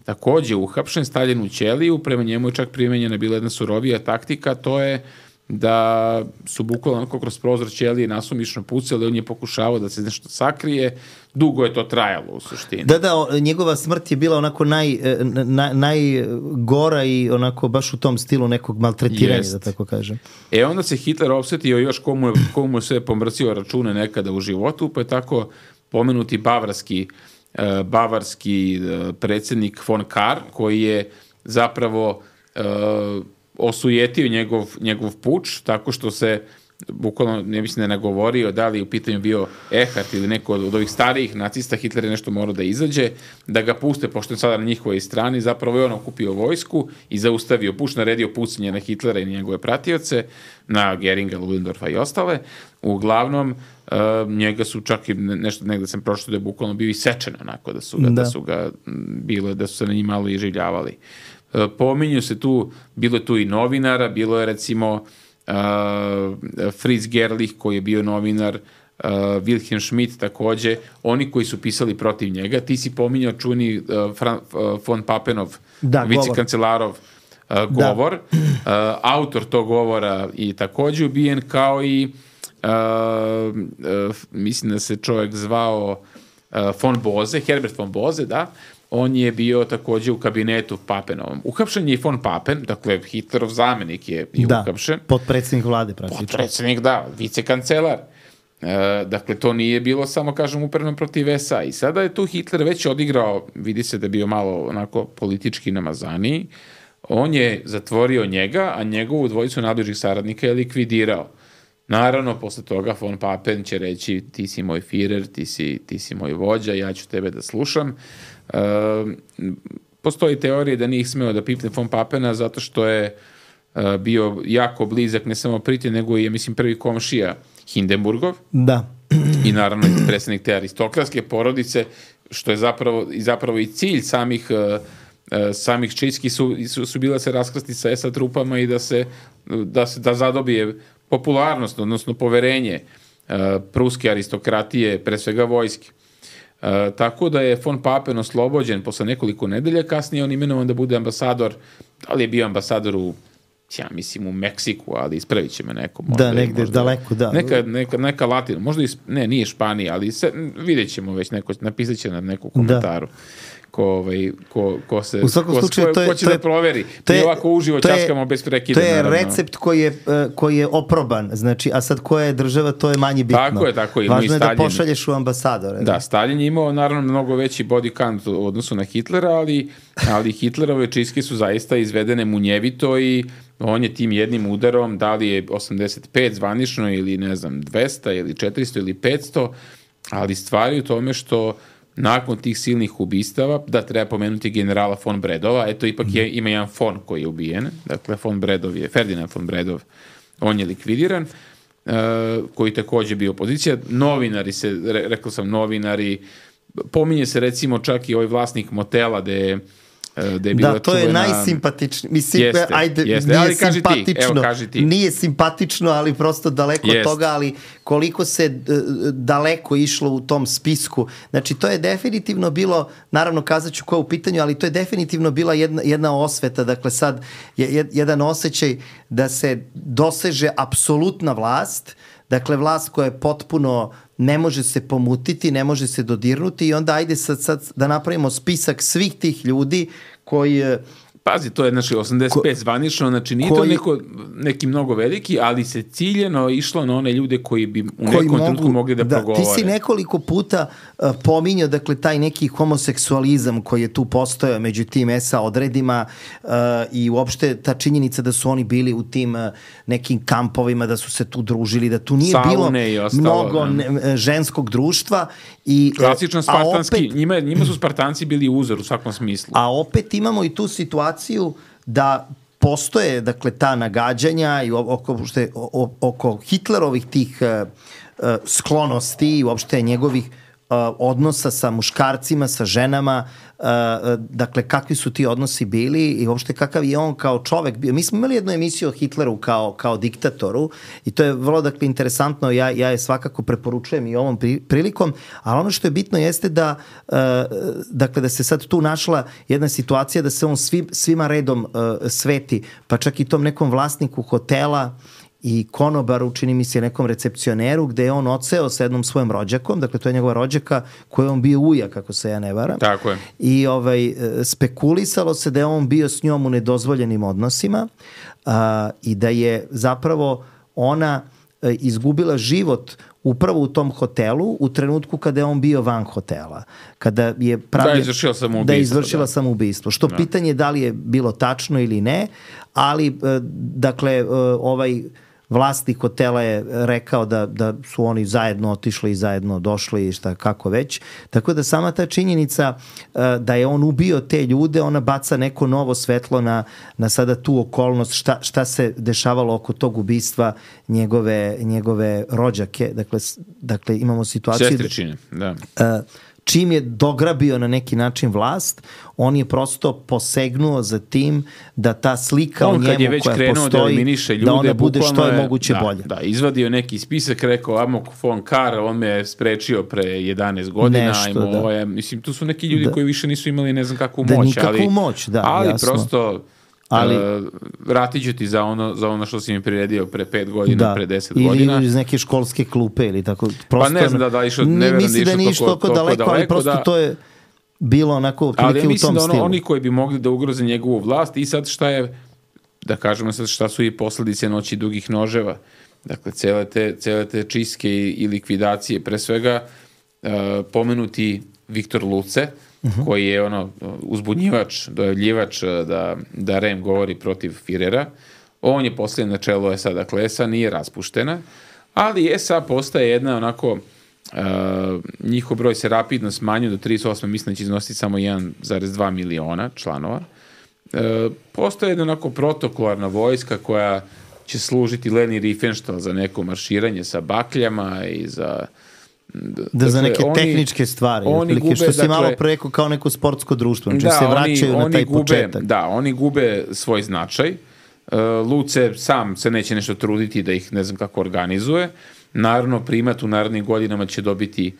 takođe uhapšen, stavljen u ćeliju, prema njemu je čak primenjena bila jedna surovija taktika, to je da su bukvalno kroz prozor ćelije nasumično pucali, on je pokušavao da se nešto sakrije, dugo je to trajalo u suštini. Da, njegova smrt je bila onako najgora i onako baš u tom stilu nekog maltretiranja, da tako kažem. Onda se Hitler opsetio još komu je sve pomrcio račune nekada u životu, pa je tako pomenuti bavarski predsjednik von Kahr, koji je zapravo osujetio njegov puč, tako što se bukvalno, ne mislim da je nagovorio da li je u pitanju bio Erhard ili neko od ovih starijih nacista, Hitler je nešto morao da izađe, da ga puste, pošto je sada na njihovoj strani, zapravo je on okupio vojsku i zaustavio puč, naredio pucanje na Hitlera i njegove pratioce, na Geringa, Ludendorfa i ostale. Uglavnom, njega su čak i nešto, negde sam prošlo da je bukvalno bio isečen onako, da su se na njih malo iživljavali. Pominju se tu, bilo je tu i novinara, bilo je recimo Fritz Gerlich koji je bio novinar, Wilhelm Schmidt takođe, oni koji su pisali protiv njega. Ti si pominjao čuveni von Papenov, vicekancelarov govor, autor tog govora i takođe ubijen, kao i mislim da se čovjek zvao von Bose, Herbert von Bose, da. On je bio takođe u kabinetu Papenovom. Uhapšen je i von Papen, dakle Hitlerov zamenik je uhapšen. Potpredsjednik vlade praktično. Potpredsjednik, da, vicekancelar. Dakle, to nije bilo samo, kažem, upereno protiv SA. I sada je tu Hitler već odigrao, vidi se da je bio malo onako politički namazaniji. On je zatvorio njega, a njegovu dvojicu najbližih saradnika je likvidirao. Naravno, posle toga von Papen će reći ti si moj Führer, ti si moj vođa, ja ću tebe da slušam. Postoji teorija da nije smeo da pipne von Papena zato što je bio jako blizak ne samo Pritju, nego i, mislim, prvi komšija Hindenburgov. Da. I naravno predstavnik te aristokratske porodice, što je zapravo i cilj samih čistki su bila se raskrsti sa SA trupama i da zadobije popularnost, odnosno poverenje pruske aristokratije, pre svega vojske. Tako da je von Papen oslobođen posle nekoliko nedelja, kasnije on imenovan da bude ambasador, da li je bio ambasador ja mislim u Meksiku, ali ispravit će me neko. Možda, negde daleko, da. Neka Latina, možda nije Španija, ali vidjet ćemo već napisat će na neku komentaru. Ko će da proveri. Mi ovako uživo časkamo bez prekida. To je recept koji je oproban, znači, a sad koja je država, to je manje bitno. Tako je. Važno je da pošalješ u ambasadore. Da, Stalin je imao naravno mnogo veći body count u odnosu na Hitlera, ali Hitlerove čistke su zaista izvedene munjevito i on je tim jednim udarom, da li je 85 zvanično ili ne znam 200 ili 400 ili 500, ali stvari u tome što nakon tih silnih ubistava, da treba pomenuti generala von Bredova, eto ipak ima jedan von koji je ubijen, dakle Ferdinand von Bredov, on je likvidiran, koji takođe bio opozicija. Novinari rekao sam novinari, pominje se recimo čak i ovaj vlasnik motela da je bila to je najsimpatičniji. Mislim, jeste. Ali kaži ti. Nije simpatično, ali prosto daleko od toga, ali koliko se daleko išlo u tom spisku. Znači, to je definitivno bilo, naravno kazat ću ko je u pitanju, ali to je definitivno bila jedna osveta. Dakle, sad je jedan osjećaj da se doseže apsolutna vlast, dakle, vlast koja je potpuno ne može se pomutiti, ne može se dodirnuti i onda ajde sad da napravimo spisak svih tih ljudi koji... Pazi, to je 85 zvanično, znači nije to neki mnogo veliki, ali se ciljeno išlo na one ljude koji bi u nekom trenutku mogli da progovore. Ti si nekoliko puta pominjao, dakle, taj neki homoseksualizam koji je tu postojao među tim SA odredima i uopšte ta činjenica da su oni bili u tim nekim kampovima, da su se tu družili, da tu nije bilo mnogo ženskog društva. Klasično spartanski, njima su Spartanci bili uzor u svakom smislu. A opet imamo i tu situaciju da postoje, dakle, ta nagađanja i oko Hitlerovih tih sklonosti i uopšte njegovih odnosa sa muškarcima, sa ženama, dakle, kakvi su ti odnosi bili i uopšte kakav je on kao čovek bio. Mi smo imali jednu emisiju o Hitleru kao diktatoru i to je vrlo, dakle, interesantno, ja je svakako preporučujem i ovom prilikom, ali ono što je bitno jeste da dakle, da se sad tu našla jedna situacija da se on svima redom sveti, pa čak i tom nekom vlasniku hotela i konobaru, čini mi se nekom recepcioneru, gde je on odseo sa jednom svojom rođakom, dakle to je njegova rođaka koja je on bio ujak, ako se ja ne varam. Tako je. I spekulisalo se da je on bio s njom u nedozvoljenim odnosima i da je zapravo ona izgubila život upravo u tom hotelu u trenutku kada je on bio van hotela. Kada je da je izvršila samoubistvo. Što pitanje da li je bilo tačno ili ne, ali dakle ovaj vlasnik hotela je rekao da su oni zajedno otišli i zajedno došli i šta kako već. Tako da sama ta činjenica da je on ubio te ljude, ona baca neko novo svetlo na sada tu okolnost šta se dešavalo oko tog ubistva njegove rođake. Dakle imamo situaciju... Sestričine, da. Čim je dograbio na neki način vlast, on je prosto posegnuo za tim da ta slika o njemu koja postoji, da ona bude što je moguće bolje. Da, izvadio neki spisak, rekao Amok von Kahr, on me sprečio pre 11 godina. Nešto, mislim, tu su neki ljudi koji više nisu imali ne znam kakvu moć. Nikakvu moć, da, ali jasno. Prosto... vratit ću ti za ono što si mi priredio pre 5 godina, pre 10 godina. Ili iz neke školske klupe ili tako. Prosto, pa ne znam da išao, ne verujem da išao toliko daleko, ali prosto to je bilo onako u tom stilu. Ali ja mislim da oni koji bi mogli da ugroze njegovu vlast i sad šta je, da kažemo sad šta su i posledice noći dugih noževa. Dakle, cele te čistke i likvidacije, pre svega pomenuti Viktor Luce, koji je uzbunjivač, dojavljivač da REM govori protiv Firera. On je postavljen na čelo SA, dakle SA nije raspuštena, Ali SA postaje jedna onako, njihov broj se rapidno smanjuje do 38, mislim da će iznositi samo 1,2 miliona članova. Postoje jedna onako protokolarna vojska koja će služiti Leni Riefenstahl za neko marširanje sa bakljama i za... za neke tehničke stvari, što si malo preko kao neko sportsko društvo, znači se vraćaju na taj početak. Da, oni gube svoj značaj. Luce sam se neće nešto truditi da ih ne znam kako organizuje. Naravno, primat u narednim godinama će dobiti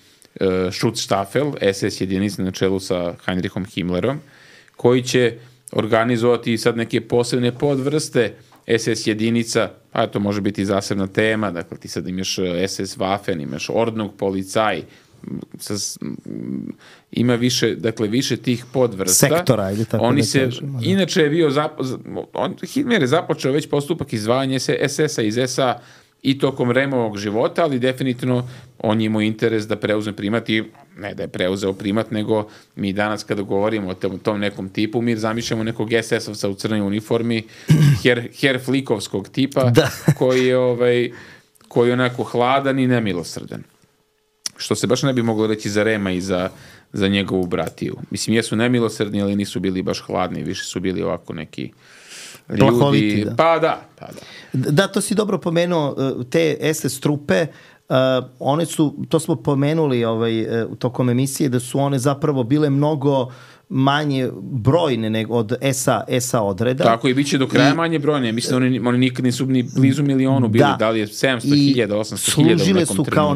Schutzstaffel, SS jedinica na čelu sa Heinrichom Himmlerom, koji će organizovati sad neke posebne podvrste SS jedinica, a to može biti zasebna tema, dakle ti sad imaš SS Waffen, imaš Ordnung Polizei, ima više tih podvrsta. Sektora, ili tako Oni da se, kažemo. inače je bio, Himmler je započeo već postupak izdvajanja SS-a iz SA i tokom Removog života, ali definitivno on je imao interes da preuzme primat i ne da je preuzeo primat, nego mi danas kada govorimo o tom nekom tipu, mi zamišljamo nekog SS-ovca u crnoj uniformi, Herr Flickovskog tipa, koji je onako hladan i nemilosrdan. Što se baš ne bi moglo reći za Rema i za njegovu bratiju. Mislim, jesu nemilosrdni, ali nisu bili baš hladni, više su bili ovako neki ljudi. Da. Pa da. Da, to si dobro pomenuo, te SS trupe, one su, to smo pomenuli tokom emisije, da su one zapravo bile mnogo manje brojne nego od SA odreda. Tako i bit će do kraja manje brojne. Mislim, oni nikad nisu ni blizu milionu bili. Da li je 700.000, 800.000 u nekom služile su kao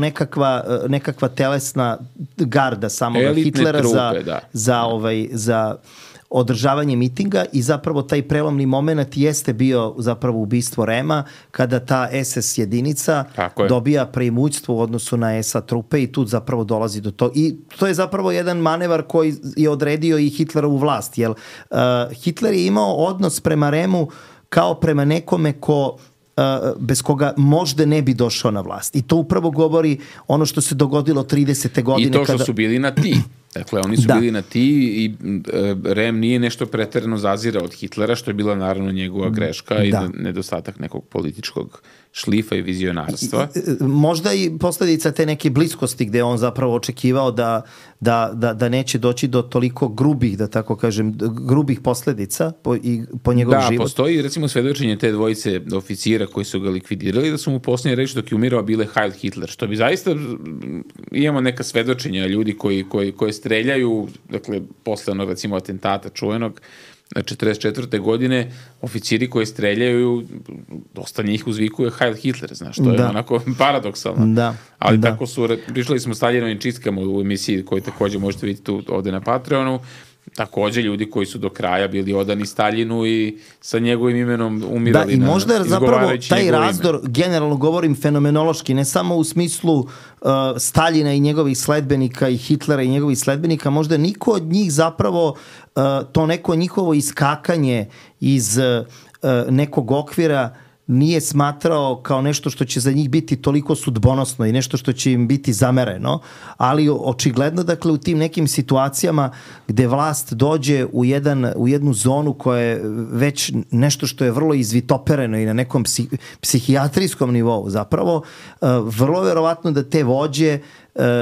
nekakva telesna garda samoga Hitlera trupe, za održavanje mitinga i zapravo taj prelomni moment jeste bio zapravo ubistvo Rema kada ta SS jedinica dobija preimućstvo u odnosu na SA trupe i tu zapravo dolazi do toga. I to je zapravo jedan manevar koji je odredio i Hitlerovu vlast, jer Hitler je imao odnos prema Remu kao prema nekome bez koga možda ne bi došao na vlast. I to upravo govori ono što se dogodilo 30. godine. I to što su bili na ti. Dakle, oni su bili na ti i Rem nije nešto preterano zazirao od Hitlera, što je bila naravno njegova greška i nedostatak nekog političkog šlifa i vizionarstva. Možda i posljedica te neke bliskosti gde on zapravo očekivao da neće doći do toliko grubih, da tako kažem, grubih posljedica po njegov život. Da, postoji recimo svedočenje te dvojice oficira koji su ga likvidirali, da su mu posljednje reči dok je umirao bile Heil Hitler, što bi zaista, imamo neka svedočenja ljudi koji streljaju, dakle, posle onog recimo atentata čuvenog 44. godine, oficiri koji streljaju, dosta njih uzvikuje Heil Hitler, znaš, to je onako paradoksalno. Ali tako su, prišli smo Staljinovim čistkama u emisiji koju također možete vidjeti tu ovdje na Patreonu, također ljudi koji su do kraja bili odani Staljinu i sa njegovim imenom umirali. Da, i možda zapravo taj razdor, generalno govorim fenomenološki, ne samo u smislu Staljina i njegovih sledbenika i Hitlera i njegovih sledbenika, možda niko od njih zapravo to neko njihovo iskakanje iz nekog okvira nije smatrao kao nešto što će za njih biti toliko sudbonosno i nešto što će im biti zamereno, ali očigledno, dakle, u tim nekim situacijama gde vlast dođe u jednu zonu koja je već nešto što je vrlo izvitopereno i na nekom psihijatrijskom nivou zapravo, vrlo verovatno da te vođe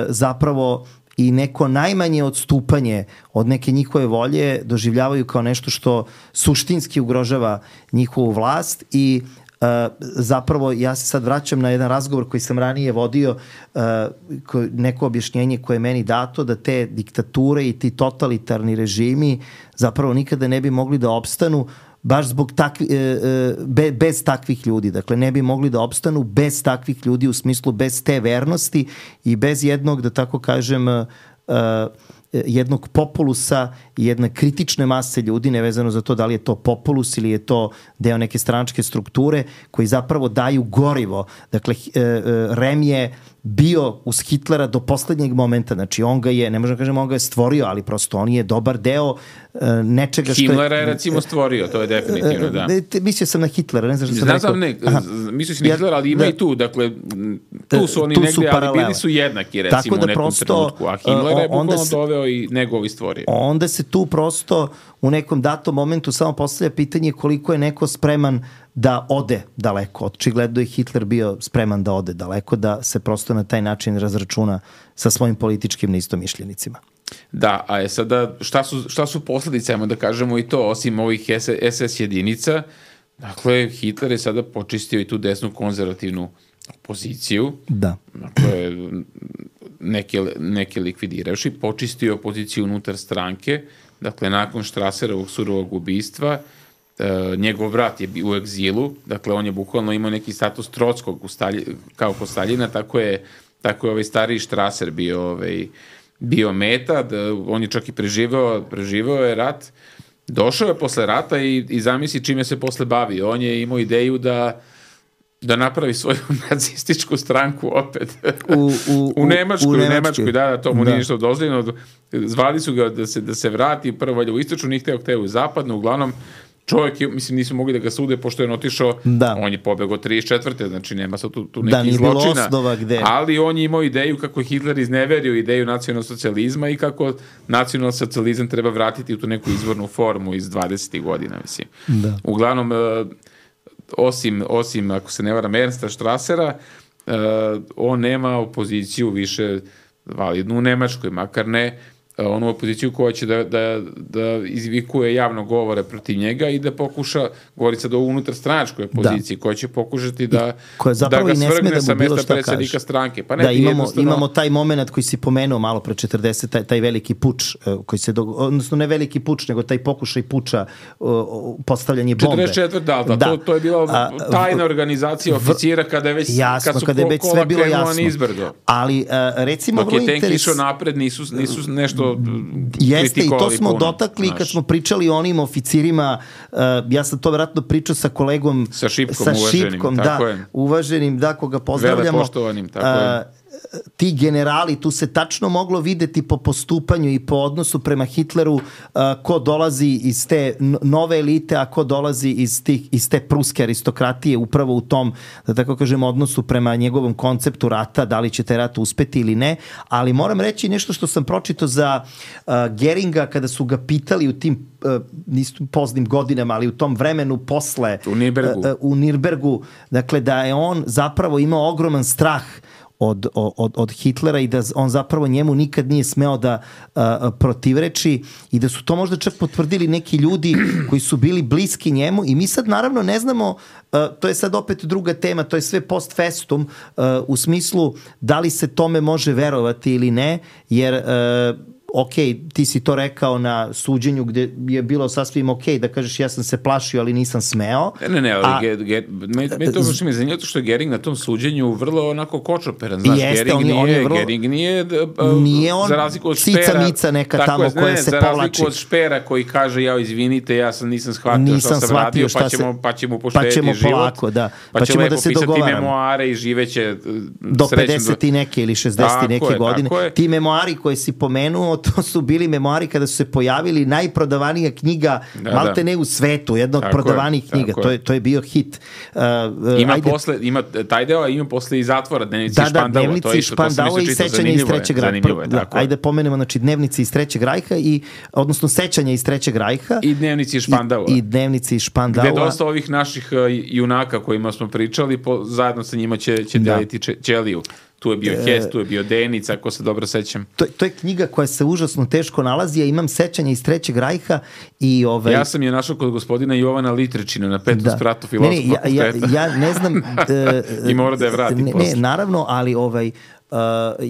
zapravo i neko najmanje odstupanje od neke njihove volje doživljavaju kao nešto što suštinski ugrožava njihovu vlast i zapravo ja se sad vraćam na jedan razgovor koji sam ranije vodio, neko objašnjenje koje je meni dato da te diktature i ti totalitarni režimi zapravo nikada ne bi mogli da opstanu baš zbog bez takvih ljudi. Dakle, ne bi mogli da opstanu bez takvih ljudi u smislu bez te vernosti i bez jednog, da tako kažem, jednog populusa i jedne kritične mase ljudi, nevezano za to da li je to populus ili je to deo neke stranačke strukture, koji zapravo daju gorivo. Dakle, Rem je bio uz Hitlera do poslednjeg momenta, znači on ga je, ne možemo kažem on ga je stvorio, ali prosto on je dobar deo nečega što je... Himmlera je recimo stvorio, to je definitivno, da. Mislio sam na Hitlera, ne znam što sam rekao. Mislio sam na Hitlera, ali ima i tu, dakle, tu su oni negdje, ali bili su jednaki, recimo, u nekom trenutku, a Himmlera je bukvalno doveo i njegovi stvorio. Onda se tu prosto u nekom datom momentu samo postavlja pitanje koliko je neko spreman da ode daleko. Očigledno je Hitler bio spreman da ode daleko, da se prosto na taj način razračuna sa svojim političkim neistomišljenicima. Da, a sada šta su posledice, ajmo da kažemo i to, osim ovih SS jedinica, dakle, Hitler je sada počistio i tu desnu konzervativnu opoziciju, da. Dakle, neke likvidirevši, počistio opoziciju unutar stranke, dakle, nakon Strasserovog surovog ubistva, njegov brat je bio u egzilu, dakle, on je bukvalno imao neki status Trockog kao kod Staljina, tako je ovaj stariji Strasser bio meta, on je čak i preživao je rat, došao je posle rata i zamisli čime se posle bavio. On je imao ideju da napravi svoju nacističku stranku opet u Nemačkoj, da, to mu nije ništa dozvoljeno. Zvali su ga da se vrati prvo u istočnu, nije hteo u zapadnu, uglavnom čovjek, mislim, nisu mogli da ga sude pošto je otišao, on je pobegao 34. Znači nema sad tu nekih zločina, ali on je imao ideju kako je Hitler izneverio ideju nacionalsocijalizma i kako nacionalsocijalizam treba vratiti u tu neku izvornu formu iz 20. godina, mislim. Da. Uglavnom, osim, ako se ne varam, Ernsta Strassera, on nema opoziciju više validnu u Nemačkoj, makar ne onu opoziciju koja će da izvikuje javno govore protiv njega i da pokuša, govori sad o unutarstranačkoj opoziciji, koja će pokušati da ga svrgne sa mesta predsjednika stranke. Pa ne, imamo taj moment koji si pomenuo malo pre 40, taj veliki puč, koji se odnosno ne veliki puč, nego taj pokušaj puča, postavljanje bombe. 44, da. To je bila tajna organizacija oficira kada je već sve bilo jasno. Ali recimo dok je tenk išao napred, nisu nešto jeste, i to smo dotakli kad smo pričali o onim oficirima, ja sam to vjerojatno pričao sa kolegom sa Šipkom, uvaženim, koga pozdravljamo, velepoštovanim, tako je. Ti generali, tu se tačno moglo videti po postupanju i po odnosu prema Hitleru ko dolazi iz te nove elite, a ko dolazi iz te pruske aristokratije, upravo u tom, da tako kažem, odnosu prema njegovom konceptu rata, da li će taj rat uspeti ili ne, ali moram reći nešto što sam pročitao za Geringa kada su ga pitali u tim nisu poznim godinama, ali u tom vremenu posle u Nirnbergu, dakle da je on zapravo imao ogroman strah od Hitlera i da on zapravo njemu nikad nije smeo da protivreči i da su to možda čak potvrdili neki ljudi koji su bili bliski njemu i mi sad naravno ne znamo, to je sad opet druga tema, to je sve post festum u smislu da li se tome može verovati ili ne, jer ok, ti si to rekao na suđenju gde je bilo sasvim ok da kažeš ja sam se plašio, ali nisam smeo. Ne, ali meni to baš mi je zanimljivo što je Gering na tom suđenju vrlo onako kočoperan. Znaš, Gering nije on za razliku od Špera, cica neka tamo koja se povlači. Za razliku od Špera koji kaže ja izvinite, ja nisam shvatio šta sam radio, pa ćemo poštediti život. Polako, da. Pa ćemo da se dogovaramo. Pisati memoare i živeće do 50 i neke ili 60 i neke godine. Ti memoari koje si pomenuo, to su bili memoari kada su se pojavili najprodavanija knjiga malte ne u svetu, jedna od prodavanijih knjiga. To je bio hit. Ima taj deo, a ima posle i zatvora Dnevnici Špandau. Dnevnici Špandau i sećanja iz Trećeg rajha. Ajde pomenemo, znači Dnevnici iz Trećeg rajha odnosno sećanja iz Trećeg rajha. I Dnevnici Špandaua. I Dnevnici Špandaua. Gde dosta ovih naših junaka kojima smo pričali, zajedno sa njima će deliti ćeliju. Tu je bio Hess, tu je bio Denic, ako se dobro sećam. To je knjiga koja se užasno teško nalazi, ja imam sećanja iz Trećeg rajha i ja sam je našao kod gospodina Jovana Litrečina na 5. spratu filozofskog fakulteta. Ja ne znam i mora da je vrati posle. Ne, naravno, ali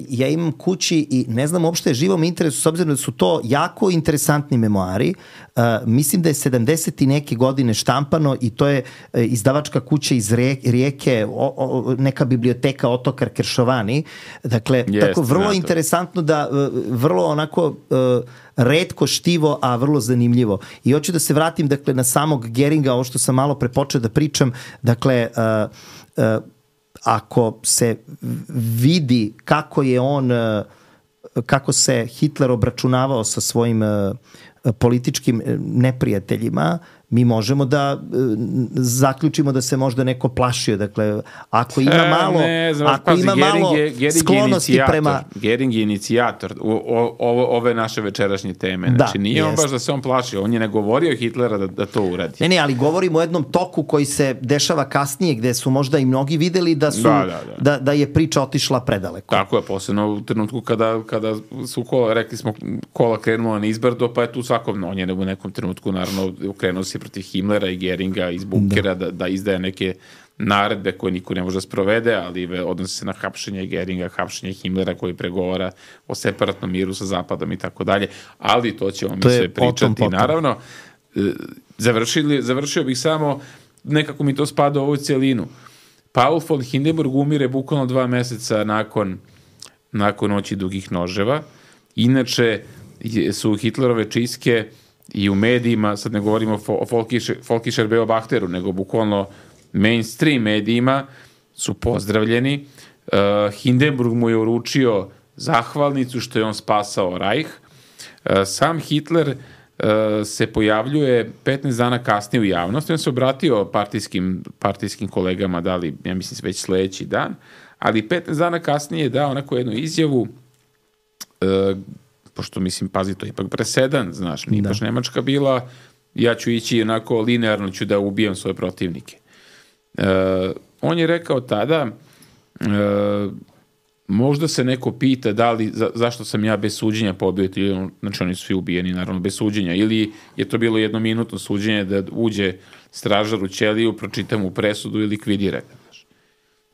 ja imam kući i ne znam uopšte je živom interesu, s obzirom da su to jako interesantni memoari. Mislim da je 70 i neke godine štampano i to je izdavačka kuća iz Rijeke, neka biblioteka Otokar Keršovani. Dakle, tako vrlo interesantno da vrlo onako retko štivo, a vrlo zanimljivo. I hoću da se vratim dakle na samog Geringa, ovo što sam malo prepočeo da pričam, dakle ako se vidi kako se Hitler obračunavao sa svojim političkim neprijateljima, mi možemo da zaključimo da se možda neko plašio. Dakle, ako ima malo, sklonosti prema... Gering je inicijator ove naše večerašnje teme. Znači, nije on baš da se on plašio, on je ne govorio Hitlera da to uradi. Ne, ali govorimo o jednom toku koji se dešava kasnije, gde su možda i mnogi videli da je priča otišla predaleko. Tako je, posebno u trenutku kada su rekli smo, kola krenula na izbrdo, pa je tu svakom, on je u nekom trenutku naravno ukrenuo se protiv Himmlera i Geringa iz bunkera da izdaje neke naredbe koje niko ne može da sprovede, ali odnosi se na hapšenje Geringa, hapšenje Himmlera koji pregovara o separatnom miru sa Zapadom i tako dalje, ali to ćemo mi sve pričati. Potom. Naravno, završio bih samo, nekako mi to spada u ovu celinu. Paul von Hindenburg umire bukvalno 2 meseca nakon Noći dugih noževa. Inače su Hitlerove čistke i u medijima, sad ne govorimo o Völkischer Beobachteru, nego bukvalno mainstream medijima su pozdravljeni. Hindenburg mu je uručio zahvalnicu što je on spasao Reich. Sam Hitler se pojavljuje 15 dana kasnije u javnosti. On se obratio partijskim kolegama, dali, ja mislim, već sledeći dan, ali 15 dana kasnije je dao onako jednu izjavu, pošto mislim, pazi, to je ipak presedan, znaš, nije baš Nemačka bila, ja ću ići onako linearno, ću da ubijam svoje protivnike. On je rekao tada, možda se neko pita zašto sam ja bez suđenja pobio, znači oni su svi ubijeni naravno bez suđenja, ili je to bilo jednominutno suđenje da uđe stražar u ćeliju, pročita mu presudu i likvidira ga.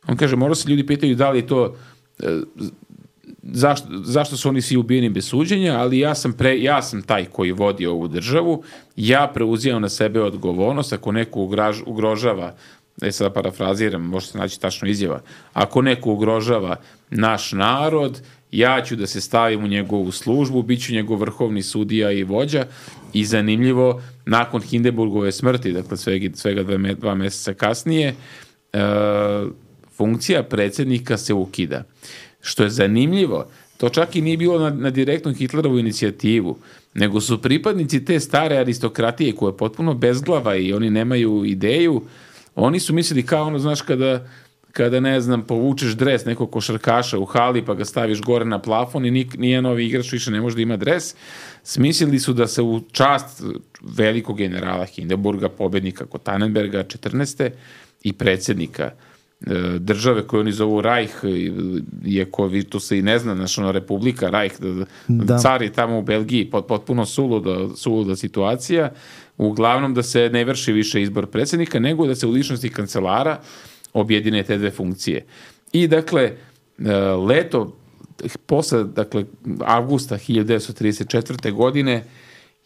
On kaže, možda se ljudi pitaju da li to, zašto su oni svi ubijeni bez suđenja, ali ja sam taj koji vodi ovu državu, ja preuzimam na sebe odgovornost, ako neko ugrožava, sada parafraziram, može se naći tačno izjava, ako neko ugrožava naš narod, ja ću da se stavim u njegovu službu, bit ću njegov vrhovni sudija i vođa. I zanimljivo, nakon Hindenburgove smrti, dakle svega 2 meseca kasnije, funkcija predsjednika se ukida. Što je zanimljivo, to čak i nije bilo na direktnu Hitlerovu inicijativu, nego su pripadnici te stare aristokratije koja je potpuno bezglava i oni nemaju ideju. Oni su mislili kao ono, znaš, kada ne znam, povučeš dres nekog košarkaša u hali pa ga staviš gore na plafon i nijedan novi igrač više ne može da ima dres. Smislili su da se u čast velikog generala Hindenburga, pobednika kod Tannenberga 14. i predsjednika države koju oni zovu Reich, iako to se i ne zna, znaš, ono, Republika Reich, car je tamo u Belgiji, potpuno suluda situacija, uglavnom da se ne vrši više izbor predsjednika, nego da se u ličnosti kancelara objedine te dve funkcije. I dakle, posle avgusta 1934. godine,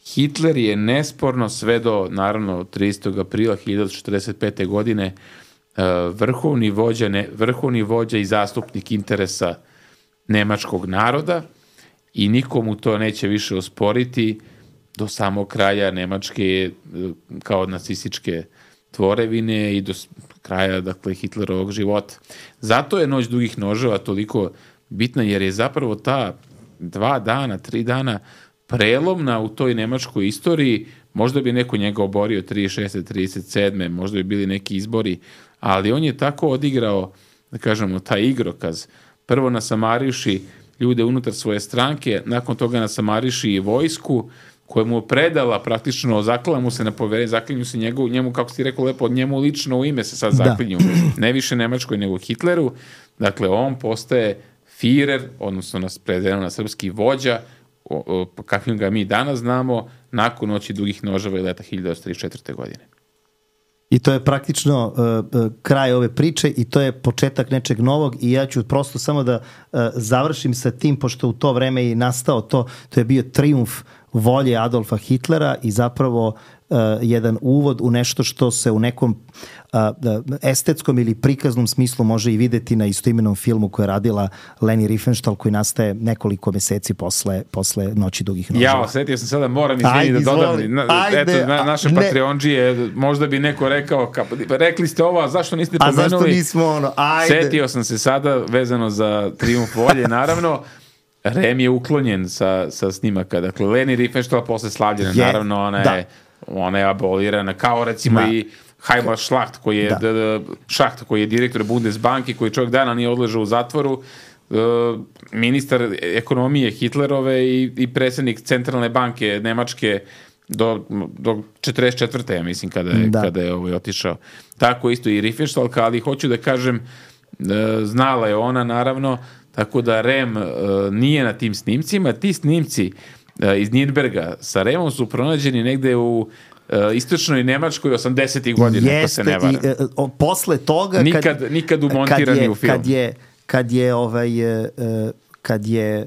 Hitler je nesporno sve do, naravno, 30. aprila 1945. godine vrhovni vođa i zastupnik interesa nemačkog naroda i nikomu to neće više osporiti do samog kraja Nemačke kao nacističke tvorevine i do kraja, dakle, Hitlerovog života. Zato je Noć dugih noževa toliko bitna, jer je zapravo ta 2 dana, 3 dana prelomna u toj nemačkoj istoriji. Možda bi neko njega oborio 36. 37. možda bi bili neki izbori, ali on je tako odigrao, da kažemo, taj igrokaz. Prvo nasamariši ljude unutar svoje stranke, nakon toga nasamariši i vojsku, koja mu je predala praktično, zaklala mu se na poverenje, zaklinju se njemu, kako si rekao lepo, njemu lično u ime se sad zaklinju, ne više Nemačkoj nego Hitleru. Dakle, on postaje Führer, odnosno prevedeno na srpski vođa, kakvim ga mi danas znamo, nakon Noći dugih noževa i leta 1934. godine. I to je praktično kraj ove priče i to je početak nečeg novog i ja ću prosto samo da završim sa tim, pošto u to vreme je nastao to je bio trijumf volje Adolfa Hitlera i zapravo jedan uvod u nešto što se u nekom estetskom ili prikaznom smislu može i videti na istoimenom filmu koje je radila Leni Riefenstahl, koji nastaje nekoliko meseci posle Noći dugih noževa. Ja, osetio sam sada, moram da dodam. Eto, naše Patreonđije, možda bi neko rekao, rekli ste ovo, a zašto niste pomenuli? A zašto nismo ono? Ajde. Setio sam se sada, vezano za trijumf volje, naravno. Rem je uklonjen sa snimaka. Dakle, Leni Riefenstahl posle slavljena, naravno, ona je abolirana, kao recimo i Heimar Schlacht, koji je direktor Bundesbanke, koji čovjek dana nije odležao u zatvoru, ministar ekonomije Hitlerove i predsjednik centralne banke Nemačke do 44. ja mislim kada je otišao. Tako isto i Riefenstahl, ali hoću da kažem, znala je ona naravno, tako da Rem nije na tim snimcima. Ti snimci iz Nürnberga sa Remom su pronađeni negde u istočnoj Nemačkoj 80. godina, ako se ne varam. Posle toga nikad umontirani u film. Kad je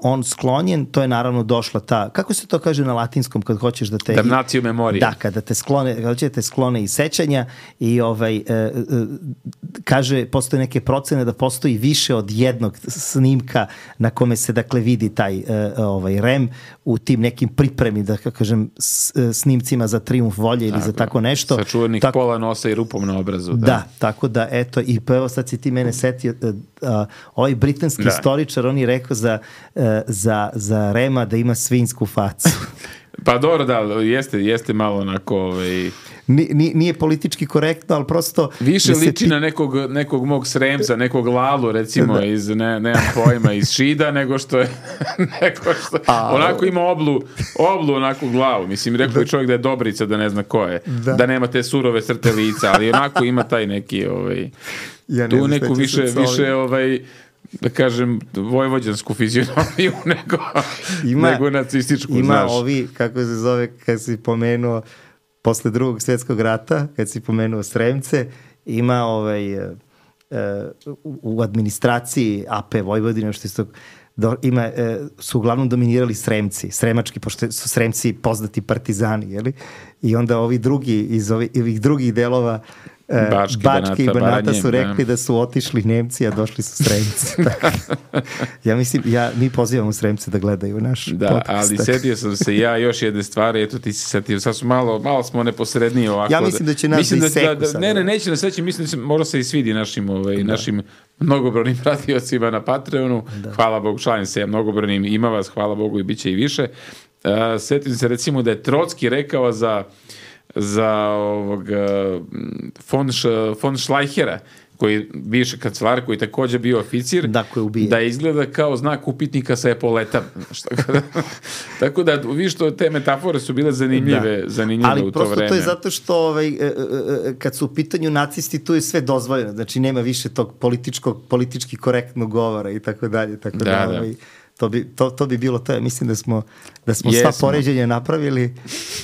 on sklonjen, to je naravno došla ta, kako se to kaže na latinskom kad hoćeš da te... Damnatio memorije. Da, kada hoće da te sklone iz sećanja i kaže, postoje neke procene da postoji više od jednog snimka na kome se dakle vidi taj Rem u tim nekim pripremi, da kažem, snimcima za Trijumf volje ili za tako nešto. Sa čuvenih pola nosa i rupom na obrazu. Da, tako da, eto, i pa evo sad si ti mene setio, ovaj britanski istoričar, on je rekao za Rema da ima svinjsku facu. Pa dobro, da, jeste malo onako... Nije politički korektno, ali prosto... Više liči na nekog mog Sremca, nekog Lalu, recimo, iz, nemam pojma, iz Šida, nego što je... onako ima oblu onako glavu. Mislim, rekao je čovjek da je Dobrica, da ne zna ko je. Da nema te surove crte lica, ali onako ima taj neki... tu neku više da kažem, vojvođansku fizionomiju nego nacističku, ima znaš. Ovi, kako se zove, kad si pomenuo posle Drugog svjetskog rata, kad si pomenuo Sremce, ima u administraciji AP Vojvodine, što isto su uglavnom dominirali Sremci, sremački, pošto su Sremci poznati partizani, jeli? I onda ovi drugi, iz ovih drugih delova Bačke i Banata su rekli da su otišli Nemci, a došli su Sremci. Ja mislim, mi pozivamo Sremce da gledaju naš podcast. Ali setio sam se ja još jedne stvari, eto ti si setio, sad su malo smo neposredniji ovako. Ja mislim da će nas iseku sad. Neće nas seći, mislim da se možda se i svidi našim mnogobrojnim pratiocima na Patreonu. Hvala Bogu, članim se ja mnogobrojnim, ima vas, hvala Bogu i bit će i više. Setim se recimo da je Trotski rekao za von Schleichera, koji bivši kancelar, koji također bio oficir, da izgleda kao znak upitnika sa epoletama. Tako da, vi što te metafore su bile zanimljive u to vreme. Ali prosto to je zato što kad su u pitanju nacisti, tu je sve dozvoljeno. Znači, nema više tog politički korektnog govora i tako dalje. Tako da. To bi bilo to. Ja mislim da smo sva poređenja napravili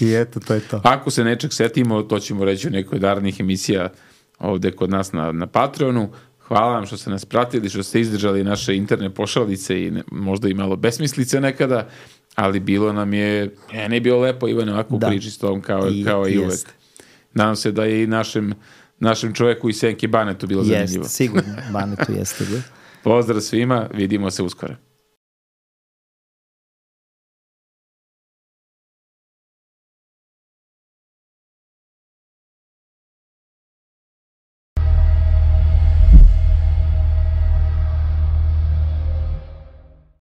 i eto, to je to. Ako se nečeg setimo, to ćemo reći u nekoj darnih emisija ovde kod nas na Patreonu. Hvala vam što ste nas pratili, što ste izdržali naše interne pošalice i možda i malo besmislice nekada, ali bilo nam je, ne bilo lepo, Ivane, ovako priči s tom kao i uvek. Nadam se da je i našem čoveku iz Senke Banetu bilo zanimljivo. Jeste, sigurno, Banetu jeste. Pozdrav svima, vidimo se uskoro.